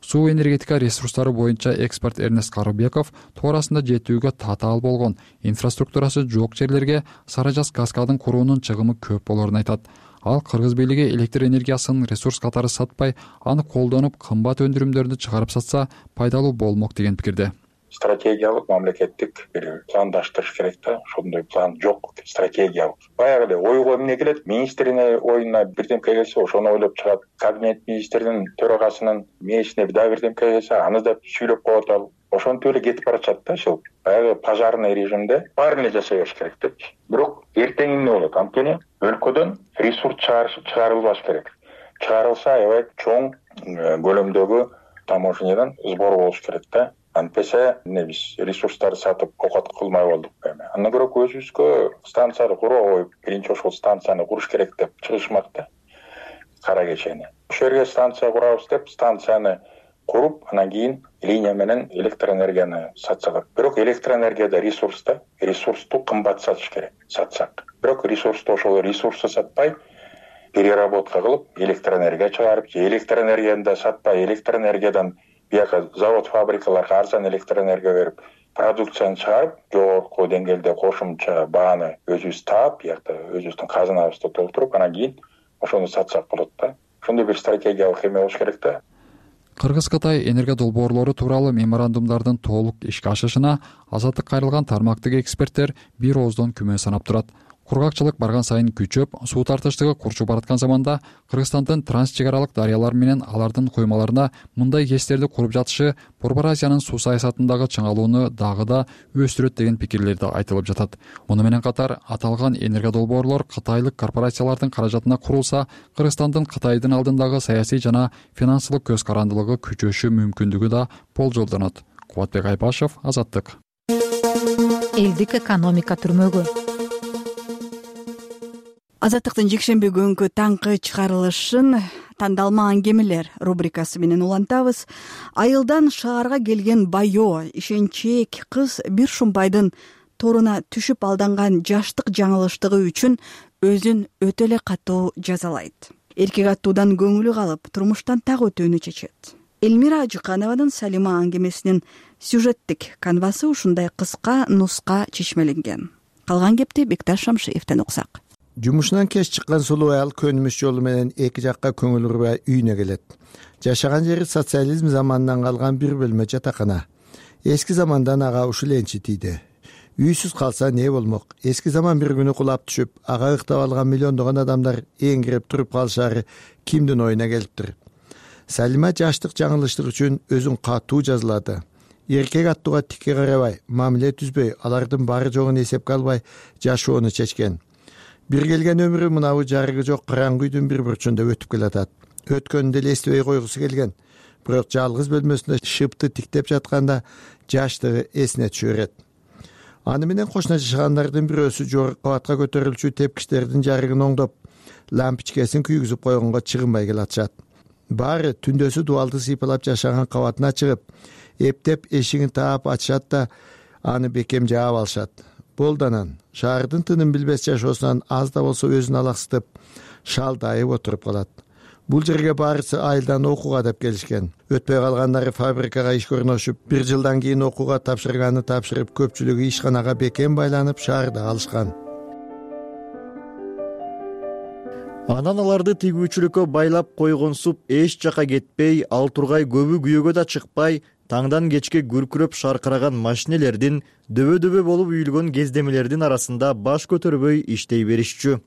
Суу энергетика ресурстары боюнча эксперт Эрнест Карыбеков туурасында жетүүгө татаал болгон, инфраструктурасы жок жерлерге Сары Жаз каскадын куруунун чыгымы көп болорун айтат. Ал Кыргыз бийлиги электр энергиясын ресурс катары сатпай, аны колдонуп кымбат өндүрүмдөрдү чыгарып сатса пайдалуу болмок деген пикирде. Стратегиялык мамлекеттик бир пландаштырыш керек да, ошондой план жок, стратегиялык. Баягы эле ойго эмне келет, министринин оюна бирдемке келсе, ошону ойлоп чыгат. Кабинет министринин төрагасынын мээсине дагы бирдемке келсе, аны да сүйлөп коет ал. Ошентип эле кетип баратат да, ошол баягы пожарный режимде баарын эле жасай бериш керек депчи. Бирок эртең эмне болот? Анткени өлкөдөн ресурс чыгарылбаш керек. Чыгарылса, аябай чоң көлөмдөгү таможнядан сбор болуш керек да. Антпесе эмне биз ресурстарды сатып окат кылмай болдук эми. Андан көрө өзүбүзгө станцияны куруп коюп, биринчи ошол станцияны куруш керек деп чыгышмак да. Кара кечени. Ошол жерге станция курабыз деп, станцияны куруп, анан кийин линия менен электр энергияны сатсак. Бирок электр энергияда ресурс да, ресурсту кымбат сатыш керек, сатсак. Бирок ресурсту ошол ресурсту сатпай, переработка кылып, электр энергия чыгарып, же электр энергияны да сатпай, электр энергиядан бияка завод, фабрикаларга арзан электр энергия берип, продукцияны чыгарып, жогорку деңгээлде кошумча бааны өзүбүз таап, биякта өзүбүздүн казынабызды толтуруп, анан кийин ошону сатсак болот да. Ошондой бир стратегиялык эме болуш керек да. Кыргыз-Кытай энергия долбоорлору тууралуу меморандумдардын толук ишке ашышына азаттыкка кайрылган тармактагы эксперттер бир ооздон күмө санап турат. Кургакчылык барган сайын күчөп, суу тартыштыгы курчуп бараткан заманда Кыргызстандын транс чек аралык дарыялар менен алардын коймаларына мындай ГЭСтерди куруп жатышы Борбор Азиянын суу саясатындагы чыңалууну дагы да өстүрөт деген пикирлер да айтылып жатат. Муну менен катар аталган энергия долбоорлор кытайлык корпорациялардын каражатына курулса, Кыргызстандын Кытайдын алдындагы саясий жана финансылык көз карандылыгы күчөшү мүмкүндүгү да болжолдонот. Кубатбек Айпашев, Азаттык. Элдик экономика түрмөгү. Азаттыктын жекшемби күнгү таңкы чыгарылышын тандалма аңгемелер рубрикасы менен улантабыз. Айылдан шаарга келген байоо, ишенчээк кыз бир шумбайдын торуна түшүп алданган жаштык жаңылыштыгы үчүн өзүн өтө эле катуу жазалайт. Эркек аттуудан көңүлү калып, турмуштан так өтүүнү чечет. Элмира Ажыканованын Салима аңгемесинин сюжеттик канвасы ушундай кыска нуска чечмеленген. Калган кепти Бекташ Шамшиевден уксак. Жумушунан кеч чыккан сулуу аял көнүмүш жолу менен эки жакка көңүл урбай үйүнө келет. Жашаган жери социализм заманынан калган бир бөлмө жатакана. Эски замандан ага ушул энчи тийди. Үйсүз калса не болмок? Эски заман бир күнү кулап түшүп, ага ыктап алган миллиондогон адамдар эңгирип туруп калышары кимдин оюна келиптир? Салима жаштык жаңылыштык үчүн өзүн катуу жазалады. Эркек аттууга тикке карабай, мамиле түзбөй, алардын бары жогун эсепке албай жашоону чечкен. Бир келген өмүрү мынабы жарыгы жок караңгы үйдүн бир бурчунда өтүп келатат. Өткөнүндө эле эстебей койгусу келген. Бирок жалгыз бөлмөсүндө шыпты тиктеп жатканда жаштыгы эсине түшө берет. Аны менен кошуна жашагандардын бирөөсү жогорку кабатка көтөрүлчү тепкичтердин жарыгын оңдоп, лампичкесин күйгүзүп койгонго чыгынбай келатышат. Баары түндөсү дубалды сыйпалап жашаган кабатына чыгып, эптеп эшигин таап ачышат да, аны бекем жаап алышат. Болду анан шаардын тынын билбес жашоосунан аз да болсо өзүн алаксытып шалдайып отуруп калат. Бул жерге баарысы айылдан окууга деп келишкен. Өтпөй калгандары фабрикага ишке орношуп, бир жылдан кийин окууга тапшырганды тапшырып, көпчүлүгү ишканага бекем байланып шаарда калышкан. Анан аларды тигүүчүлүккө байлап койгонсуп эч жака кетпей, ал тургай көбү күйөөгө да чыкпай, таңдан кечке күркүрөп шаркыраган машинелердин, дөбө-дөбө болуп үйүлгөн кездемелердин арасында баш көтөрбөй иштей беришчү.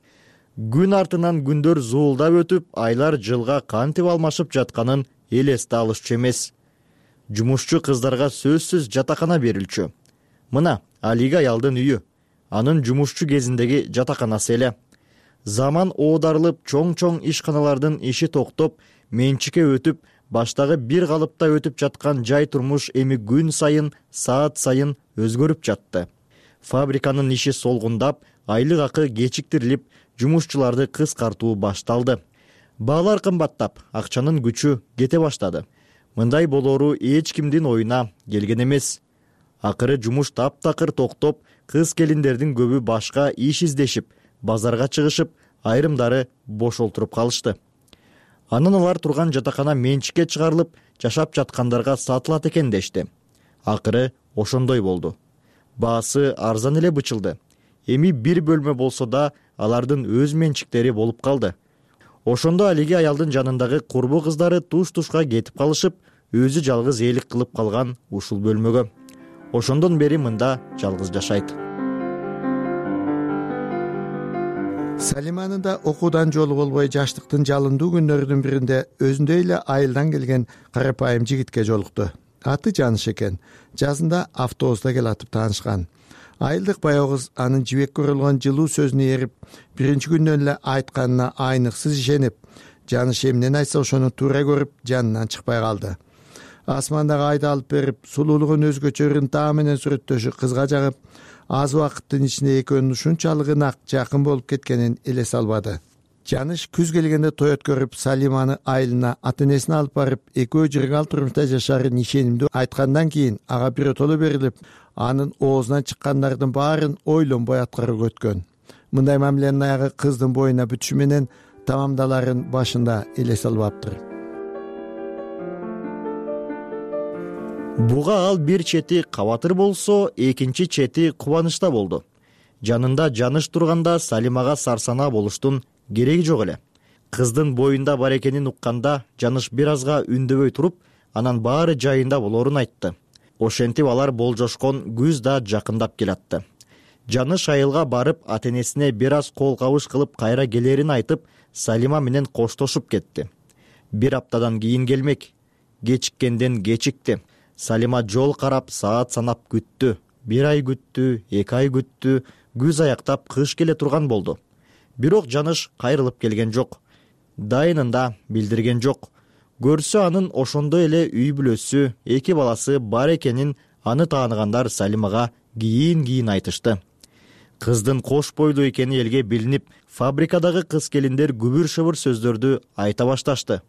Күн артынан күндөр зуулдап өтүп, айлар жылга кантип алмашып жатканын элесте алышчу эмес. Жумушчу кыздарга сөзсүз жатакана берилчү. Мына Алига аялдын үйү, анын жумушчу кезиндеги жатаканасы эле. Заман оодарылып, чоң-чоң ишканалардын иши токтоп, менчикке өтүп, баштагы бир калыпта өтүп жаткан жай турмуш эми күн сайын, саат сайын өзгөрүп жатты. Фабриканын иши солгундап, айлык акы кечиктирилип, жумушчуларды кыскартуу башталды. Баалар кымбаттап, акчанын күчү кете баштады. Мындай болоору эч кимдин оюна келген эмес. Акыры жумуш таптакыр токтоп, кыз келиндердин көбү башка иш издешип, базарга чыгышып, айрымдары бош олтуруп калышты. Анан алар турган жатакана менчикке чыгарылып, жашап жаткандарга сатылат экен дешти. Акыры ошондой болду. Баасы арзан эле бычылды. Эми бир бөлмө болсо да алардын өз менчиктери болуп калды. Ошондо Алиге аялдын жанындагы курбу кыздары туш-тушка кетип калышып, өзү жалгызээлик кылып калган ушул бөлмөгө. Ошондон бери мында жалгыз жашайт. Салиманын да окуудан жолу болбой жаштыктын жалындуу күннөрүнүн биринде өзүндөй эле айылдан келген карапайым жигитке жолукту. Аты Жаныш экен. Жазында автобуста келатып таанышкан. Айылдык баягы кыз анын жибек көрүлгөн жылуу сөзүнө эрип, биринчи күндөн эле айтканына айныксыз ишенип, Жаныш эмнени айтса ошону туура көрүп, жанынан чыкпай калды. Асмандагы айды алып берип, сулуулугун өзгөчө ынтаа менен сүрөттөшү кызга жагып, аз убакыттын ичинде экөөнүн ушунчалык ынак, жакын болуп кеткенин элесе албады. Жаныш күз келгенде той өткөрүп, Салиманы айылына ата-энесине алып барып, экөө жыргал турмушта жашарын ишенимдүү айткандан кийин ага биротоло берилип, анын оозунан чыккандардын баарын ойлонбой аткарууга өткөн. Мындай мамиленин аягы кыздын боюна бүтүшү менен тамамдаларын башында элесе албаптыр. Буга ал бир чети кабатыр болсо, экинчи чети кубанычта болду. Жанында Жаныш турганда Салимага сарсанаа болуштун кереги жок эле. Кыздын боюнда бар экенин укканда Жаныш бир азга үндөбөй туруп, анан баары жайында болоорун айтты. Ошентип алар болжошкон күз да жакындап келатты. Жаныш айылга барып, ата-энесине бир аз кол кабыш кылып кайра келерин айтып, Салима менен коштошуп кетти. Бир аптадан кийин келмек. Кечиккенден кечикти. Салима жол карап, саат санап күттү. Бир ай күттү, эки ай күттү, күз аяктап кыш келе турган болду. Бирок Жаныш кайрылып келген жок. Дайынын да билдирген жок. Көрсө анын ошондой эле үй бүлөсү, эки баласы бар экенин аны тааныгандар Салимага кийин-кийин айтышты. Кыздын кош бойлуу экени элге билинип, фабрикадагы кыз келиндер күбүр-шыбыр сөздөрдү айта башташты.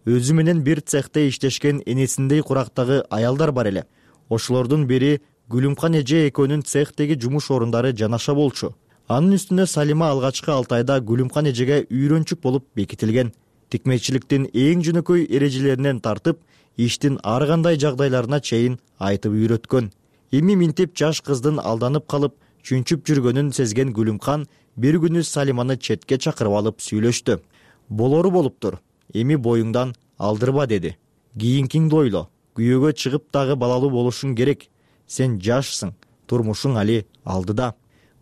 Өзү менен бир цехте иштешкен энесиндей курактагы аялдар бар эле. Ошолордун бири Гүлүмкан эже экөөнүн цехтеги жумуш орундары жанаша болчу. Анын үстүнө Салима алгачкы алты айда Гүлүмкан эжеге үйрөнчүк болуп бекитилген. Тикмечиликтин эң жөнөкөй эрежелеринен тартып, иштин ар кандай жагдайларына чейин айтып үйрөткөн. Эми минтип жаш кыздын алданып калып, чүнчүп жүргөнүн сезген Гүлүмкан бир күнү Салиманы четке чакырып алып сүйлөштү. Болору болуптур. Эми боюңдан алдырба деди. Кийинкиңди ойло. Күйөөгө чыгып дагы балалуу болушуң керек. Сен жашсың, турмушуң али алдыда.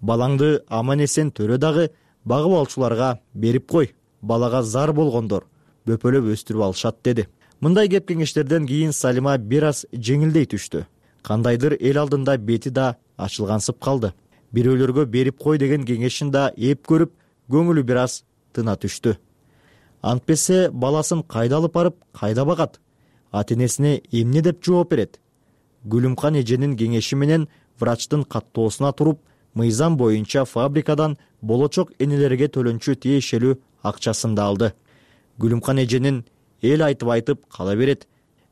Балаңды аман-эсен төрө дагы багып алчуларга берип кой. Балага зар болгондор бөпөлөп өстүрүп алышат деди. Мындай кеп кеңештерден кийин Салима бир аз жеңилдей түштү. Кандайдыр эл алдында бети да ачылгансып калды. Бирөөлөргө берип кой деген кеңешин да эп көрүп, көңүлү бир аз тына түштү. Антпесе баласын кайда алып барып, кайда багат? Ата-энесине эмне деп жооп берет? Гүлүмкан эженин кеңеши менен врачтын каттоосуна туруп, мыйзам боюнча фабрикадан болочок энелерге төлөнчү тиешелүү акчасын да алды. Гүлүмкан эженин эл айтып айтып кала берет.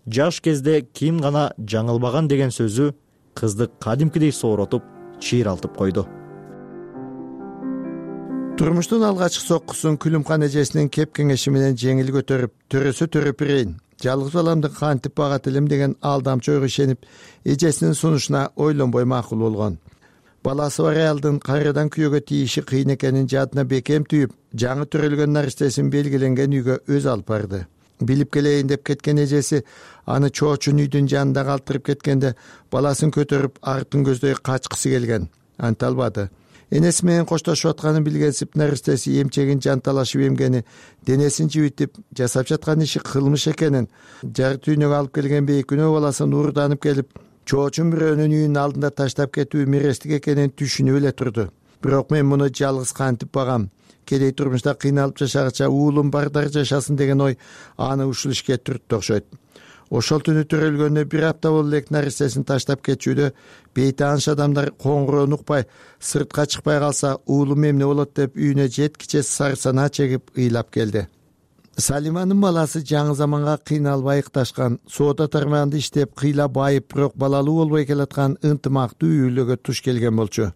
Жаш кезде ким гана жаңылбаган деген сөзү кызды кадимкидей сооротуп чыйралтып койду. Турмуштун алгачкы соккусун Күлүмкан эжесинин кеп кеңеши менен жеңил көтөрүп, төрөсө төрөп берейин, жалгыз баламды кантип багат элем деген алдамчы ойго ишенип, эжесинин сунушуна ойлонбой макул болгон. Баласы бар аялдын кайрадан күйөөгө тийиши кыйын экенин жадына бекем түйүп, жаңы төрөлгөн наристесин белгиленген үйгө өз алып барды. Билип келейин деп кеткен эжеси аны чоочун үйдүн жанында калтырып кеткенде баласын көтөрүп артын көздөй качкысы келген. Анта албады. Энеси менен коштошуп атканын билгенсип, наристеси эмчегин жанталашып эмгени, денесин жибитип, жасап жаткан иши кылмыш экенин, жар түйнөгө алып келген бейкүнөө баласын уурданып келип, чоочун бирөөнүн үйүнүн алдында таштап кетүү мирестик экенин түшүнүп эле турду. Бирок мен муну жалгыз кантип багам, кедей турмушта кыйналып жашагача уулум бардар жашасын деген ой аны ушул ишке түрттү окшойт. Ошол түнү төрөлгөнүнө бир апта болуп элек наристесин таштап кетчүдө бейтааныш адамдар коңгуроону укпай, сыртка чыкпай калса уулум эмне болот деп үйүнө жеткиче сарсанаа чегип ыйлап келди. Салиманын баласы жаңы заманга кыйналбай ыкташкан, соода тармагында иштеп, кыйла байып, бирок балалуу болбой келаткан ынтымактуу үй-бүлөгө туш келген болчу.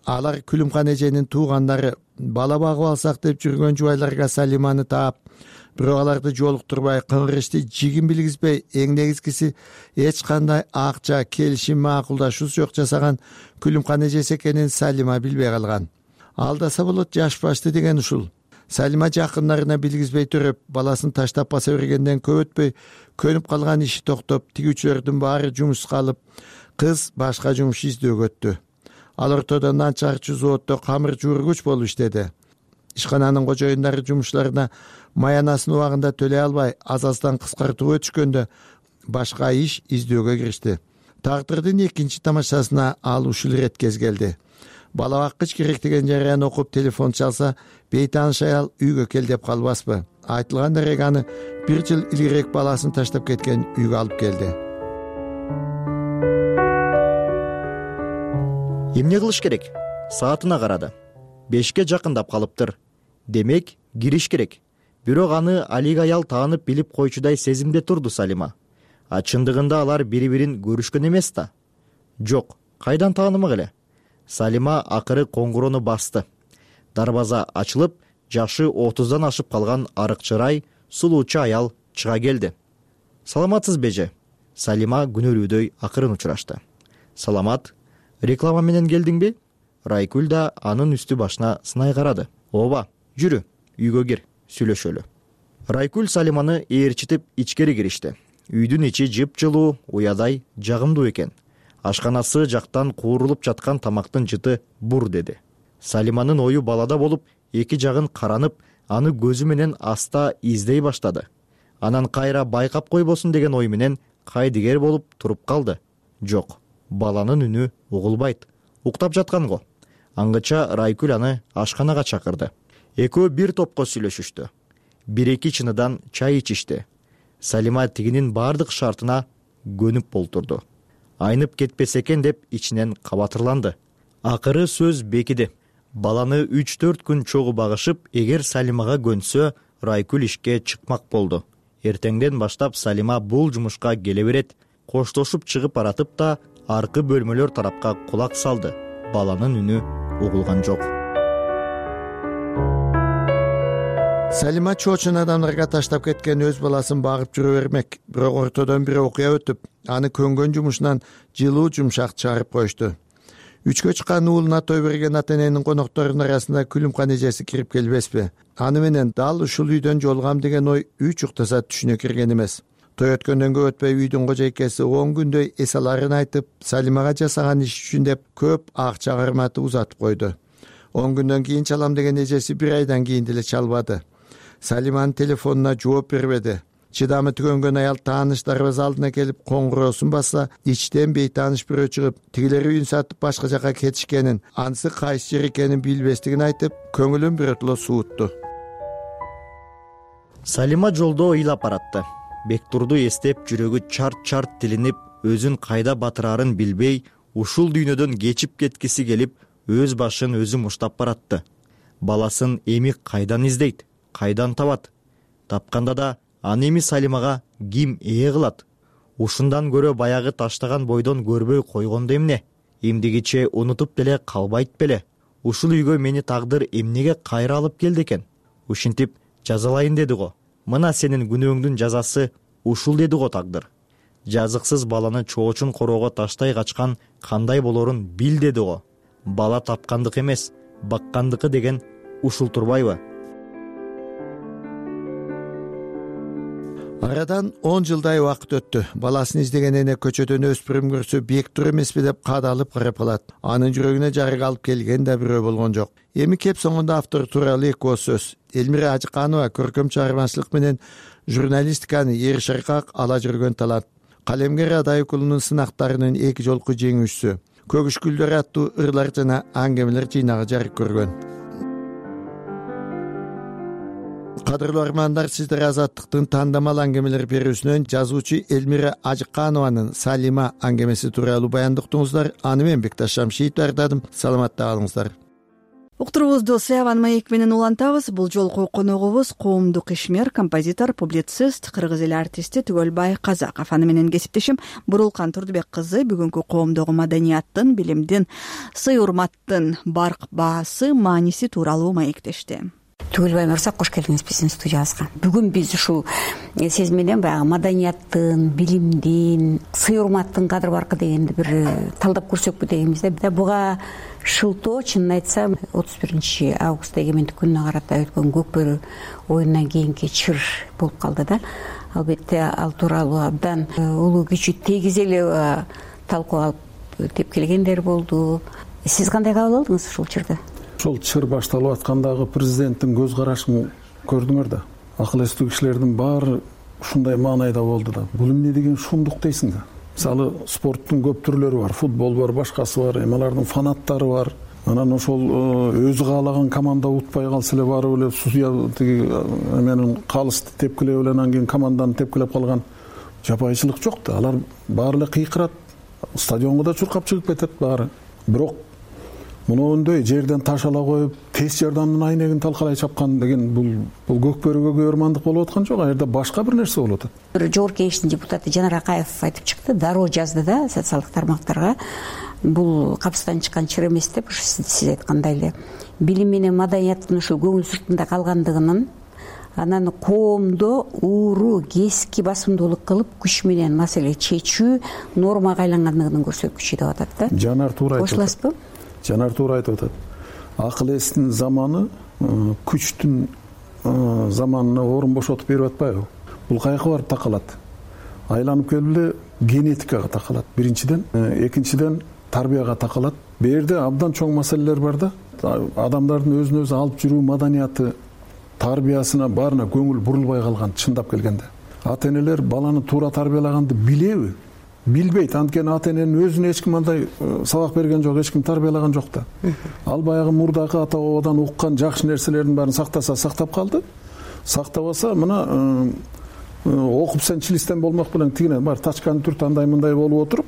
Алар Күлүмкан эженин туугандары, бала багып алсак деп жүргөн жубайларга Салиманы таап, бирок аларды жолуктурбай, кыңгырышты жигин билгизбей, эң негизгиси эч кандай акча, келишим, макулдашуу жок жасаган Күлүмкан эжеси экенин Салима билбей калган. Алдаса болот жаш башты деген ушул. Салима жакындарына билгизбей төрөп, баласын таштап баса бергенден көп өтпөй, көнүп калган иши токтоп, тигүүчүлөрдүн баары жумушка алып, кыз башка жумуш издөөгө өттү. Ал ортодо нан чыгарчу заводдо камыр жуургуч болуп иштеди. Ишкананын кожоюндары жумушларына маянасын убагында төлөй албай, аз-аздан кыскартууга өтүшкөндө башка иш издөөгө киришти. Тагдырдын экинчи тамашасына ал ушул ирет кез келди. Бала баккыч керек деген жарыяны окуп телефон чалса, бейтааныш аял үйгө кел деп калбаспы. Айтылган дарек аны бир жыл илгерээк баласын таштап кеткен үйгө алып келди. Эмне кылыш керек? Саатына карады. Бешке жакындап калыптыр. Демек, кириш керек. Бирок аны алик аял таанып билип койчудай сезимде турду Салима. А чындыгында алар бири-бирин көрүшкөн эмес да. Жок, кайдан таанымак эле? Салима акыры коңгуроону басты. Дарбаза ачылып, жашы отуздан ашып калган арык чырай, сулуучу аял чыга келди. Саламатсыз беже? Салима күнөөлүүдөй акырын учурашты. Саламат, реклама менен келдиңби? Райкүл да анын үстү башына сынай карады. Ооба, жүрү, үйгө кир, сүйлөшөлү. Райкүл Салиманы ээрчитип ичкери киришти. Үйдүн ичи жыпжылуу, уядай, жагымдуу экен. Ашканасы жактан куурулуп жаткан тамактын жыты бур деди. Салиманын ою балада болуп, эки жагын каранып, аны көзү менен аста издей баштады. Анан кайра байкап койбосун деген ой менен кайдыгер болуп туруп калды. Жок, баланын үнү угулбайт. Уктап жаткан го. Аңгыча Райкүл аны ашканага чакырды. Экөө бир топко сүйлөшүштү. Бир-эки чыныдан чай ичишти. Салима тигинин бардык шартына көнүп болтурду. Айнып кетпесе экен деп ичинен кабатырланды. Акыры сөз бекиди. Баланы үч-төрт күн чогуу багышып, эгер Салимага көнсө, Райкүл ишке чыкмак болду. Эртеңден баштап Салима бул жумушка келе берет. Коштошуп чыгып баратып да, аркы бөлмөлөр тарапка кулак салды. Баланын үнү угулган жок. Салима чоочун адамдарга таштап кеткен өз баласын багып жүрө бермек. Бирок ортодон бир окуя өтүп, аны көнгөн жумушунан жылуу жумшак чыгарып коюшту. Үчкө чыккан уулуна той берген ата-эненин конокторунун арасында Күлүмкан эжеси кирип келбеспи? Аны менен дал ушул үйдөн жолугам деген ой үч уктаса түшүнө кирген эмес. Той өткөндөн көп өтпөй үйдүн кожойкеси он күндөй эс аларын айтып, Салимага жасаган иш үчүн деп көп акча карматып узатып койду. он күндөн кийин чалам деген эжеси бир айдан кийин деле чалбады. Салиманын телефонуна жооп бербеди. Чыдамы түгөнгөн аял тааныш дарбаза алдына келип коңгуроосун басса, ичтен бейтааныш бирөө чыгып, тигилер үйүн сатып башка жака кетишкенин, анысы кайсы жер экенин билбестигин айтып, көңүлүн биротоло суутту. Салима жолдо ыйлап баратты. Бектурду эстеп, жүрөгү чарт-чарт тилинип, өзүн кайда батырарын билбей, ушул дүйнөдөн кечип кеткиси келип, өз башын өзү муштап баратты. Баласын эми кайдан издейт, кайдан табат? Тапканда да аны эми Салимага ким ээ кылат? ушундан көрө баягы таштаган бойдон көрбөй койгондо эмне? Эмдигиче унутуп деле калбайт беле? Ушул үйгө мени тагдыр эмнеге кайра алып келди экен? Ушинтип жазалайын деди го. Мына сенин күнөөңдүн жазасы ушул деди го тагдыр. Жазыксыз баланы чоочун короого таштай качкан кандай болорун бил деди го. Бала тапкандык эмес, баккандыкы деген ушул турбайбы? Арадан он жылдай убакыт өттү. Баласын издеген эне көчөдөн өспүрүм көрсө бектур эмеспи деп кадалып карап калат. Анын жүрөгүнө жарык алып келген да бирөө болгон жок. Эми кеп соңунда автор тууралуу эки ооз сөз. Элмира Ажыканова көркөм чыгармачылык менен журналистиканы эр шыркак ала жүргөн талант. Калемгер Адай укулунун сынактарынын эки жолку жеңүүчүсү. Көгүш гүлдөр аттуу ырлар жана аңгемелер жыйнагы жарык көргөн. Кадырлуу армандар, сиздер Азаттыктын тандамал аңгемелер берүүсүнөн жазуучу Элмира Ажыканованын Салима аңгемеси тууралуу баяндыктыңыздар. Аны мен Бекташ Шамшиев даярдадым. Саламатта калыңыздар. Уктуруубузду Саяван маек менен улантабыз. Бул жолку коногубуз коомдук ишмер, композитор, публицист, кыргыз эли артисти Түгөлбай Казаков. Аны менен кесиптешим Бурулкан Турдубек кызы бүгүнкү коомдогу маданияттын, билимдин, сый урматтын барк баасы, мааниси тууралуу маектешти. Түгөлбай мырза, кош келдиңиз биздин студиябызга. Бүгүн биз ушул сиз менен баягы маданияттын, билимдин, сый урматтын кадыр баркы дегенди бир талдап көрсөкпү дегенбизде. Буга шылтоо, чынын айтсам, отуз биринчи август эгемендик күнүнө карата өткөн Көкбөрү оюнунан кийинки чыр болуп калды да. Албетте ал тууралуу абдан улуу күчү тегиз эле талкуу алып тепкилегендер болду. Сиз кандай кабыл алдыңыз ушул чырды? Ошол чыр башталып аткандагы президенттин көз карашын көрдүңөр да. Акыл эстүү кишилердин баары ушундай маанайда болду да. Бул эмне деген шумдук дейсиң да. Мисалы, спорттун көп түрлөрү бар, футбол бар, башкасы бар, эми алардын фанаттары бар. Анан ошол өзү каалаган команда утпай калса эле барып эле судья тиги менен калысты тепкилеп эле анан кийин команданы тепкилеп калган жапайчылык жок да. Алар баары эле кыйкырат, стадионго да чуркап чыгып кетет баары. Бирок мындай жерден таш ала коюп, тез жардамдын айнегин талкалай чапкан деген бул бул Көкбөрүгө көөрмандык болуп аткан жок, ал жерде башка бир нерсе болуп атат. Бир жогорку кеңештин депутаты Жанар Акаев айтып чыкты, дароо жазды да социалдык тармактарга. Бул капыстан чыккан чыр эмес деп, сиз айткандай эле билим менен маданияттын ушул көңүл сыртында калгандыгынын, анан коомдо ууру, кески басымдуулук кылып, күч менен маселе чечүү нормага айлангандыгынын көрсөткүчү деп атат да. Жанар туура айтып атат. Кошуласызбы? Жанар туура айтып атат. Акыл эстин заманы күчтүн заманына орун бошотуп берип атпайбы? Бул каяка барып такалат? Айланып келип эле генетикага такалат. Биринчиден, экинчиден тарбияга такалат. Бу жерде абдан чоң маселелер бар да. Адамдардын өзүн өзү алып жүрүү маданияты, тарбиясына баарына көңүл бурулбай калган, чындап келгенде. Ата-энелер баланы туура тарбиялаганды билеби? Билбейт. Анткени ата-эненин өзүнө эч ким андай сабак берген жок, эч ким тарбиялаган жок да. Ал баягы мурдагы ата-бабадан уккан жакшы нерселердин баарын сактаса сактап калды. Сактабаса мына окуп сен чилистен болмок белең тигине бар тачканы түрт андай мындай болуп отуруп,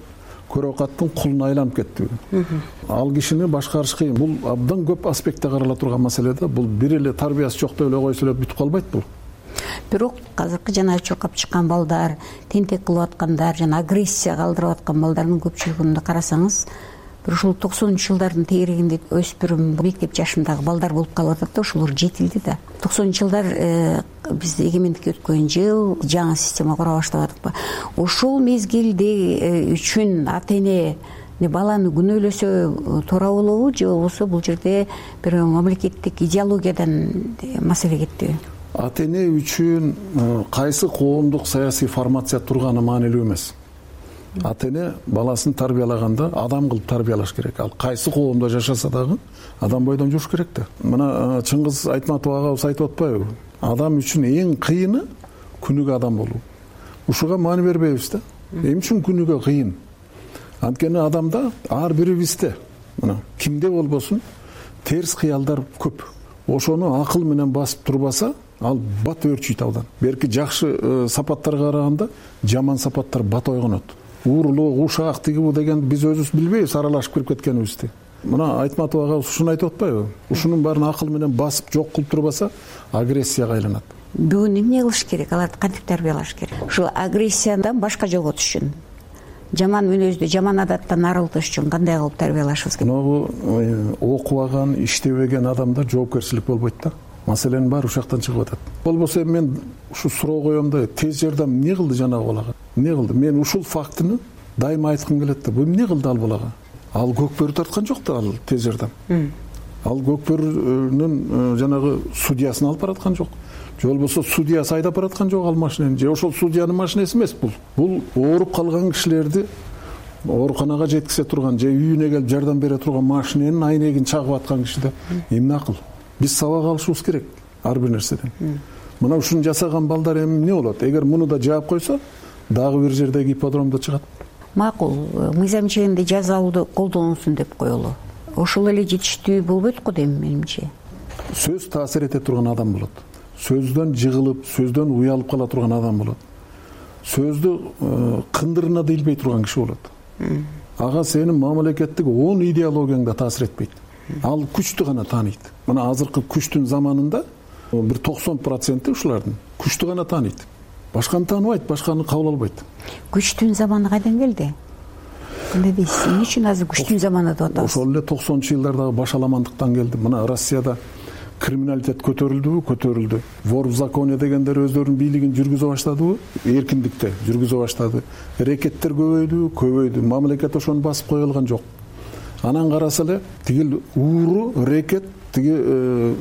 көрөкаттын кулуна айланып кетти. Ал кишини башкарыш кыйын. Бул абдан көп аспектте карала турган маселе да. Бул бир эле тарбиясы жок деп эле койсо эле бүтүп калбайт бул. Бирок азыркы жана чуркап чыккан балдар, тентек кылып аткандар, жана агрессия калтырып аткан балдардын көпчүлүгүндө карасаңыз, бир ушул токсонунчу жылдардын тегерегинде өспүрүм, мектеп жашындагы балдар болуп калып атат да, ошолор жетилди да. токсонунчу жылдар биз эгемендикке өткөн жыл, жаңы система кура баштабадыкпы? Ошол мезгилде үчүн ата-эне баланы күнөөлөсө туура болобу, же болбосо бул жерде бир мамлекеттик идеологиядан маселе кетти? Ата-эне үчүн кайсы коомдук саясий формация турганы маанилүү эмес. Ата-эне баласын тарбиялаганда адам кылып тарбиялаш керек. Ал кайсы коомдо жашаса дагы адам бойдон жүрүш керек да. Мына Чыңгыз Айтматов агабыз айтып атпайбы? Адам үчүн эң кыйыны күнүгө адам болуу. Ушуга маани бербейбиз да. Эмне үчүн күнүгө кыйын? Анткени адамда ар бирибизде, мына кимде болбосун, терс кыялдар көп. Ошону акыл менен басып турбаса, ал бат өрчүйт абдан. Берки жакшы сапаттарга караганда жаман сапаттар бат ойгонот. Уурулуу, ушак тиги бу деген биз өзүбүз билбейбиз аралашып кирип кеткенибизди. Мына Айтматов ага ушуну айтып атпайбы? Ушунун баарын акыл менен басып жок кылып турбаса, агрессияга айланат. бүгүн эмне кылыш керек, аларды кантип тарбиялаш керек? Ушул агрессиядан башка жоготуш үчүн, жаман мүнөздү, жаман адаттан арылтыш үчүн кандай кылып тарбиялашыбыз керек? Могу окубаган, иштебеген адамдар жоопкерчилик болбойт да. Маселенин баары ушактан чыгып атат. Болбосо мен ушу суроо коем да, тез жардам эмне кылды жанагы балага? Эмне кылды? Мен ушул фактыны дайыма айткым келет да. Бул эмне кылды ал балага? Ал көкбөрү тарткан жок да, ал тез жардам. Ал көкбөрүнүн жанагы судьясын алып бараткан жок. Же болбосо судьясы айдап бараткан жок ал машинени. Же ошол судьянын машинеси эмес бул. Бул ооруп калган кишилерди ооруканага жеткизе турган же үйүнө келип жардам бере турган машиненин айнегин чагып аткан киши да. Эмне акыл? Биз сабак алышыбыз керек ар бир нерседен. Мына ушуну жасаган балдар эмне болот? Эгер муну да жаап койсо, дагы бир жердеги ипподромдо чыгат. Макул, мыйзам чегинде жазалууду колдонулсун деп коелу. Ошол эле жетиштүү болбойт го дейм менимче. Сөз таасир эте турган адам болот. Сөздөн жыгылып, сөздөн уялып кала турган адам болот. Сөздү кындырына да илбей турган киши болот. Ага сенин мамлекеттик он идеологияңда таасир этпейт. Ал күчтү гана тааныйт. Мына азыркы күчтүн заманында бир токсон проценти ушулардын күчтү гана тааныйт. Башканы тааныбайт, башканы кабыл албайт. Күчтүн заманы кайдан келди? Эмне дейсиз? Эмне үчүн азыр күчтүн заманы деп атабыз? Ошол эле токсонунчу жылдардагы башаламандыктан келди. Мына Россияда криминалитет көтөрүлдүбү? Көтөрүлдү. Вор в законе дегендер өздөрүнүн бийлигин жүргүзө баштадыбы? Эркиндикте жүргүзө баштады. Рекеттер көбөйдү, көбөйдү. Мамлекет ошону басып кое алган жок. Анан караса эле тигил ууру, рекет, тиги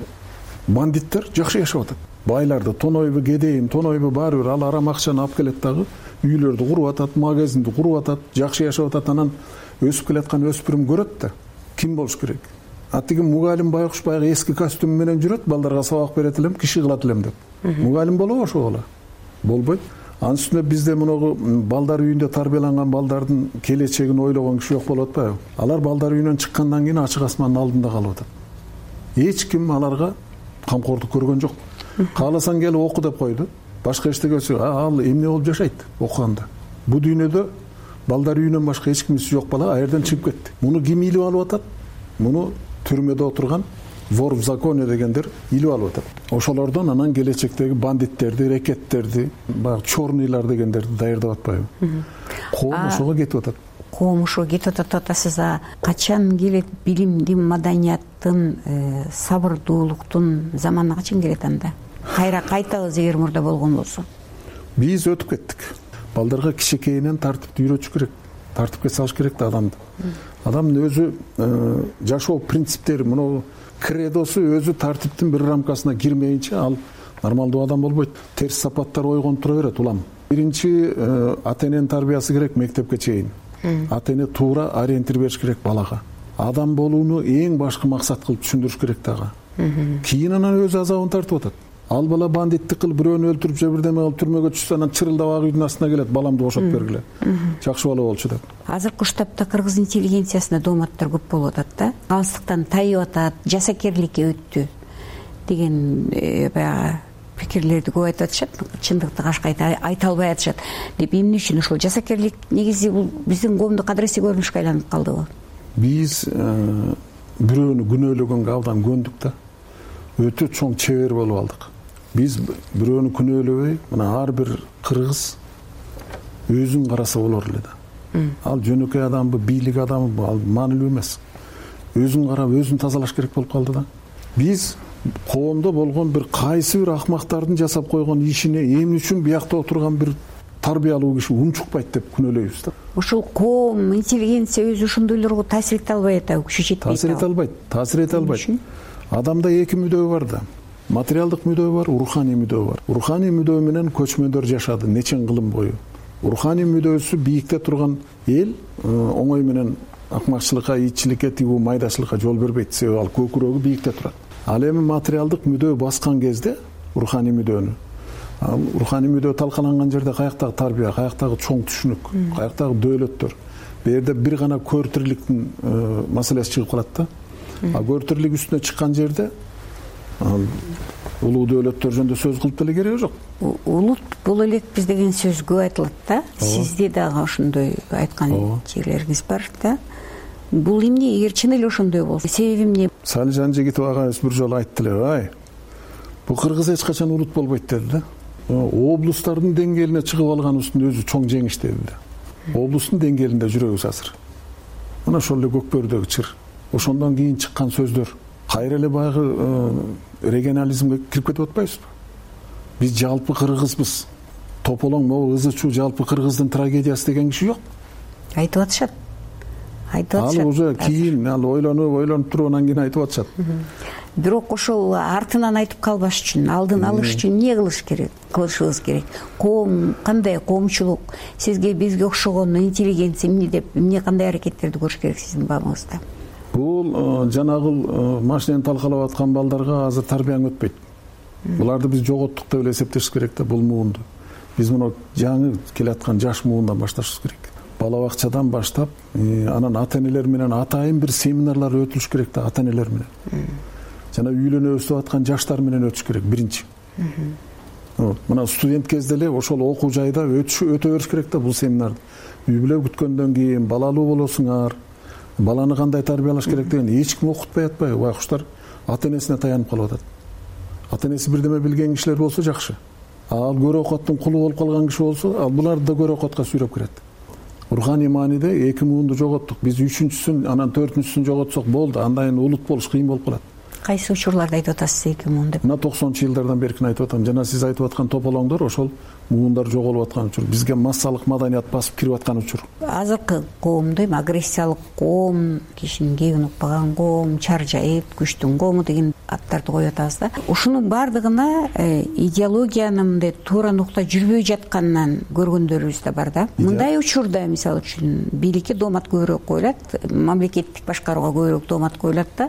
бандиттер жакшы жашап атат. Байларды тонойбу, кедейим, тонойбу баары бир ал арам акчаны алып келет дагы, үйлөрдү куруп атат, магазинди куруп атат, жакшы жашап атат. Анан өсүп келаткан өспүрүм көрөт да, ким болуш керек? А тиги мугалим байкуш баягы эски костюм менен жүрөт, балдарга сабак берет элем, киши кылат элем деп. Мугалим болобу ошол бала? Болбойт. Анын үстүнө бизде мунагу балдар үйүндө тарбияланган балдардын келечегин ойлогон киши жок болуп атпайбы? Алар балдар үйүнөн чыккандан кийин ачык асмандын алдында калып атат. Эч ким аларга камкордук көргөн жок. Кааласаң келип оку деп койду. Башка эчтеке ал эмне болуп жашайт окуганда? Бу дүйнөдө балдар үйүнөн башка эч кимиси жок бала а жерден чыгып кетти. Муну ким илип алып атат? Муну түрмөдө отурган вор в законе дегендер илип алып атат. Ошолордон анан келечектеги бандиттерди, рекеттерди, баягы чорныйлар дегендерди даярдап атпайбы? Коом ошого кетип атат. Коом ошого кетип атат деп атасыз. А качан келет билимдин, маданияттын, сабырдуулуктун заманы качан келет анда? Кайра кайтабыз эгер мурда болгон болсо. Биз өтүп кеттик. Балдарга кичинекейинен тартипти үйрөтүш керек. Тартипке салыш керек да адамды. Адамдын өзү жашоо принциптери, мына кредосу өзү тартиптин бир рамкасына кирмейинче ал нормалдуу адам болбойт. Терс сапаттар ойгонуп тура берет улам. Биринчи ата эненин тарбиясы керек мектепке чейин. Ата эне туура ориентир бериш керек балага. Адам болууну эң башкы максат кылып түшүндүрүш керек дагы. Кийин анан өз азабын тартып атат. Ал бала бандиттик кылып бирөөнү өлтүрүп же бирдеме кылып түрмөгө түшсө анан чырылдап ак үйдүн астына келет, баламды бошотуп бергиле. Жакшы бала болчу деп. Азыркы уштапта кыргыз интеллигенциясында дооматтар көп болуп атат да. Алыстыктан тайып атат, жасакерликке өттү деген баягы пикирлерди көп айтып атышат. Чындыкты кашка айта албай атышат. Деп эмне үчүн ошол жасакерлик негизи бул биздин коомдук кадыресе көрүнүшкө айланып калдыбы? Биз бирөөнү күнөөлөгөнгө абдан көндүк да. Өтө чоң чебер болуп алдык. Биз бирөөнү күнөөлөбөй, мына ар бир кыргыз өзүн караса болор эле да. Ал жөнөкөй адамбы, бийлик адамбы, ал маанилүү эмес. Өзүн карап, өзүн тазалаш керек болуп калды да. Биз коомдо болгон бир кайсы бир акмактардын жасап койгон ишине эмне үчүн биякта отурган бир тарбиялуу киши унчукпайт деп күнөөлөйбүз да. Ошол коом, интеллигенция өзү ошондойлорго таасир эте албай атабы, күчү жетпей атабы? Таасир эте албайт, таасир эте албайт. Адамда эки мүдөө бар да. Материалдык мүдөө бар, руханий мүдөө бар. Руханий мүдөө менен көчмөндөр жашады нечен кылым бою. Руханий мүдөөсү бийикте турган эл оңой менен акмакчылыкка, итчиликке, тигүү майдачылыкка жол бербейт. Себеби ал көкүрөгү бийикте турат. Ал эми материалдык мүдөө баскан кезде руханий мүдөнү, руханий мүдөө талкаланган жерде каяктагы тарбия, каяктагы чоң түшүнүк, каяктагы дөөлөттөр. Бу жерде бир гана көртүрлүктүн маселеси чыгып калат да. А көртүрлүк үстүнө чыккан жерде улуу дөөлөттөр жөнүндө сөз кылып деле кереги жок. Улут бул элек биз деген сөз көп айтылат да. Сизде дагы ошондой айткан жерлериңиз бар да. Бул эмне, эгер чын эле ошондой болсо, себеби эмне? Салижан Жигитов агайыбыз бир жолу айтты эле, ай. бул кыргыз эч качан улут болбойт деди да. Облустардын деңгээлине чыгып алганыбыздын өзү чоң жеңиш деди да. Облустун деңгээлинде жүрөбүз азыр. Мына ошол эле Көкбөрүдөгү чыр. Ошондон кийин чыккан сөздөр кайра эле баягы регионализмге кирип кетип атпайбызбы? Биз жалпы кыргызбыз. Тополоң могу ызы чуу жалпы кыргыздын трагедиясы деген киши жок. Айтып атышат. Айтып атышат. Ал уже кийин ал ойлонуп ойлонуп туруп анан кийин айтып атышат. Бирок ошол артынан айтып калбаш үчүн, алдын алыш үчүн эмне кылыш керек? Кылышыбыз керек. Коом кандай коомчулук, сизге бизге окшогон интеллигенция эмне деп, эмне кандай аракеттерди көрүш керек сиздин баамыңызда? Бул жанагыл машинени талкалап аткан балдарга азыр тарбияң өтпөйт. Буларды биз жоготтук деп эле эсептешибиз керек да бул муунду. Биз муну жаңы келаткан жаш муундан башташыбыз керек. Бала бакчадан баштап, анан ата-энелер менен атайын бир семинарлар өтүлүш керек да ата-энелер менен. Жана үйлөнүп өсүп аткан жаштар менен өтүш керек биринчи. Мына студент кезде эле ошол окуу жайда өтүш өтө бериш керек да бул семинарды. Үй бүлө күткөндөн кийин балалуу болосуңар, баланы кандай тарбиялаш керек деген эч ким окутпай атпайбы? Байкуштар ата-энесине таянып калып атат. Ата-энеси бирдеме билген кишилер болсо жакшы. Ал көрө окоттун кулу болуп калган киши болсо, ал буларды да көрө окотко сүйрөп кирет. Руханий мааниде эки муунду жоготтук. Биз үчүнчүсүн, анан төртүнчүсүн жоготсок болду. Андан кийин улут болуш кыйын болуп калат. Кайсы учурларда айтып атасыз эки муун деп? Мына токсонунчу жылдардан беркин айтып атам. Жана сиз айтып аткан тополоңдор ошол муундар жоголуп аткан учур. Бизге массалык маданият басып кирип аткан учур. Азыркы коомду эми агрессиялык коом, кишинин кегин укпаган коом, чаржайыт, күчтүн коому деген аттарды коюп атабыз да. Ушунун баардыгына идеологиянын мындай туура нукта жүрбөй жатканынан көргөндөрүбүз да бар да. Мындай учурда мисалы үчүн бийликке доомат көбүрөөк коюлат, мамлекеттик башкарууга көбүрөөк доомат коюлат да.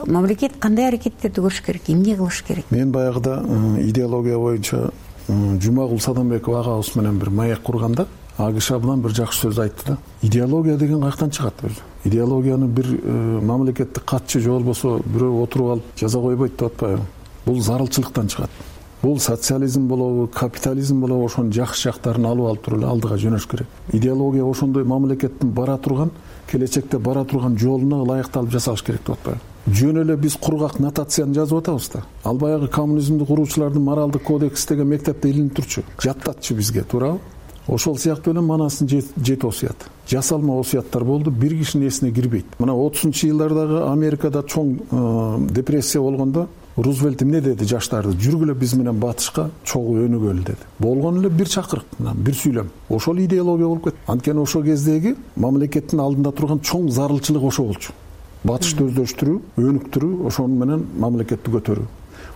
Мамлекет кандай аракеттерди көрүш керек, эмне кылыш керек? Мен баягыда идеология боюнча Жумагул Садамбеков агабыз менен бир маек курганда, ал киши абдан бир жакшы сөз айтты да. Идеология деген каяктан чыгат өзү? Идеологияны бир мамлекеттик катчы же болбосо бирөө отуруп алып жаза койбойт деп атпайбы? Бул зарылчылыктан чыгат. Бул социализм болобу, капитализм болобу, ошонун жакшы жактарын алып алып туруп эле алдыга жөнөш керек. Идеология ошондой мамлекеттин бара турган, келечекте бара турган жолуна ылайыкталып жасалыш керек деп атпайбы? Жөн эле биз кургак нотацияны жазып атабыз да. Ал баягы коммунизмди куруучулардын моралдык кодекси деген мектепте илинип турчу. Жаттатчу бизге, туурабы? Ошол сыяктуу эле манастын жети осуят. Жасалма осуяттар болду, бир кишинин эсине кирбейт. Мына отузунчу жылдардагы Америкада чоң депрессия болгондо Рузвельт эмне деди жаштарды? Жүргүлө биз менен батышка чогуу өнүгөлү деди. Болгон эле бир чакырык, бир сүйлөм. Ошол идеология болуп кетти. Анткени ошол кездеги мамлекеттин алдында турган чоң зарылчылык ошо болчу. Батышты өздөштүрүү, өнүктүрүү, ошону менен мамлекетти көтөрүү.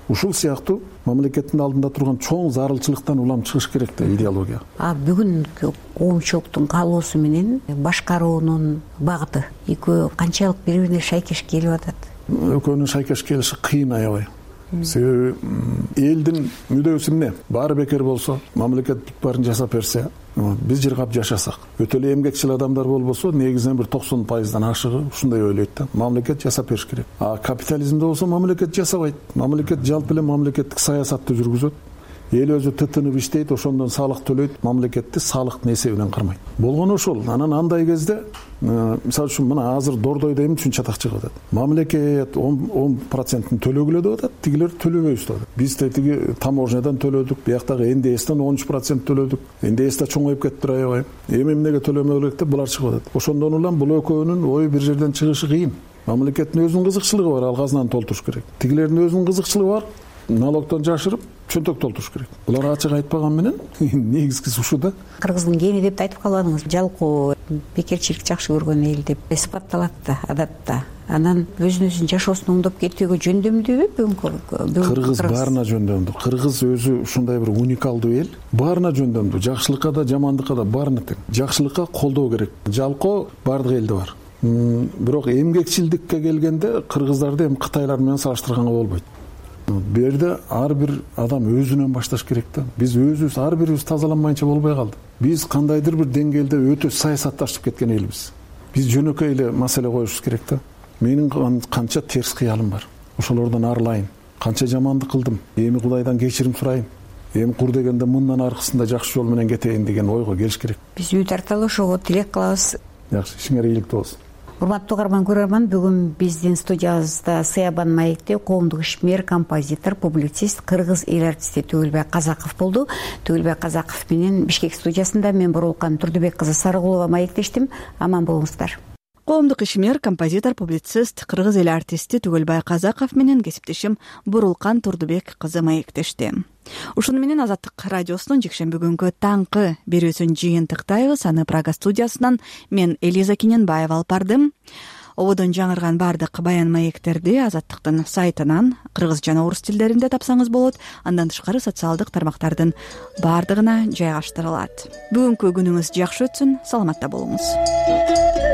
Ушул сыяктуу мамлекеттин алдында турган чоң зарылчылыктан улам чыгыш керек да идеология. А бүгүнкү коомчулуктун каалоосу менен башкаруунун багыты экөө канчалык бири-бирине шайкеш келип атат? Экөөнүн шайкеш келиши кыйын аябай. Себеби элдин мүдөөсү эмне? Баары бекер болсо, мамлекет бүт баарын жасап берсе, биз жыргап жашасак. Өтө эле эмгекчил адамдар болбосо, негизинен бир токсон пайыздан ашыгы ушундай ойлойт да. Мамлекет жасап бериш керек. А капитализмде болсо мамлекет жасабайт. Мамлекет жалпы эле мамлекеттик саясатты жүргүзөт. Эл өзү тытынып иштейт, ошондон салык төлөйт, мамлекетти салыктын эсебинен кармайт. Болгону ошол. Анан андай кезде, мисалы үчүн мына азыр Дордойдо эмне үчүн чатак чыгып атат? Мамлекет он процентин төлөгүлө деп атат, тигилер төлөбөйбүз деп атат. Биз тетиги таможнядан төлөдүк, бияктагы эн дэ эстен он үч процент төлөдүк. эн дэ эс да чоңоюп кеттир аябай. Эми эмнеге төлөмөй элек деп булар чыгып атат. Ошондон улам бул экөөнүн ою бир жерден чыгышы кыйын. Мамлекеттин өзүнүн кызыкчылыгы бар, ал казынаны толтуруш керек. Тигилердин өзүнүн кызыкчылыгы бар, налогдон жашырып чөнтөк толтуруш керек. Булар ачык айтпаган менен негизгиси ушу да. Кыргыздын гени деп айтып калбадыңыз. Жалкоо, бекерчилик жакшы көргөн эл деп эсипталат да адатта. Анан өзүнүн өзүн жашоосун оңдоп кетүүгө жөндөмдүүбү бүгүнкү? Кыргыз баарына жөндөмдүү. Кыргыз өзү ушундай бир уникалдуу эл. Баарына жөндөмдүү. Жакшылыкка да, жамандыкка да баарына тең. Жакшылыкка колдоо керек. Жалкоо бардык элде бар. Бирок эмгекчилдикке келгенде кыргыздарды эми кытайлар менен салыштырганга болбойт. Бу жерде ар бир адам өзүнөн башташ керек да. Биз өзүбүз ар бирибиз тазаланмайынча болбой калды. Биз кандайдыр бир деңгээлде өтө саясатташып кеткен элбиз. Биз жөнөкөй эле маселе коюшубуз керек да. Менин канча терс кыялым бар. Ошолордон арылайын. Канча жамандык кылдым. Эми Кудайдан кечирим сурайын. Эми кур дегенде мындан аркысында жакшы жол менен кетейин деген ойго келиш керек. Биз үй тарталы ошого тилек кылабыз. Жакшы, ишиңер ийгиликтүү болсун. урматтуу угарман көрөрман, бүгүн биздин студиябызда Сыябан маекте коомдук ишмер, композитор, публицист, кыргыз эл артисти Түгүлбек Казаков болду. Түгүлбек Казаков менен Бишкек студиясында мен Бурулкан Турдубек кызы Сарыгулова маектештим. Аман болуңуздар. Коомдук ишмер, композитор, публицист, кыргыз эл артисти Түгүлбай Казаков менен кесиптешим Бурулкан Турдубек кызы маектешти. Ушуну менен Азаттык радиосунун жекшемби күнгү таңкы берүүсүн жыйынтыктайбыз. Аны Прага студиясынан мен Элиза Кененбаева алып бардым. Ободон жаңырган бардык баян маектерди Азаттыктын сайтынан кыргыз жана орус тилдеринде тапсаңыз болот. Андан тышкары социалдык тармактардын бардыгына жайгаштырылат. Бүгүнкү күнүңүз жакшы өтсүн, саламатта болуңуз.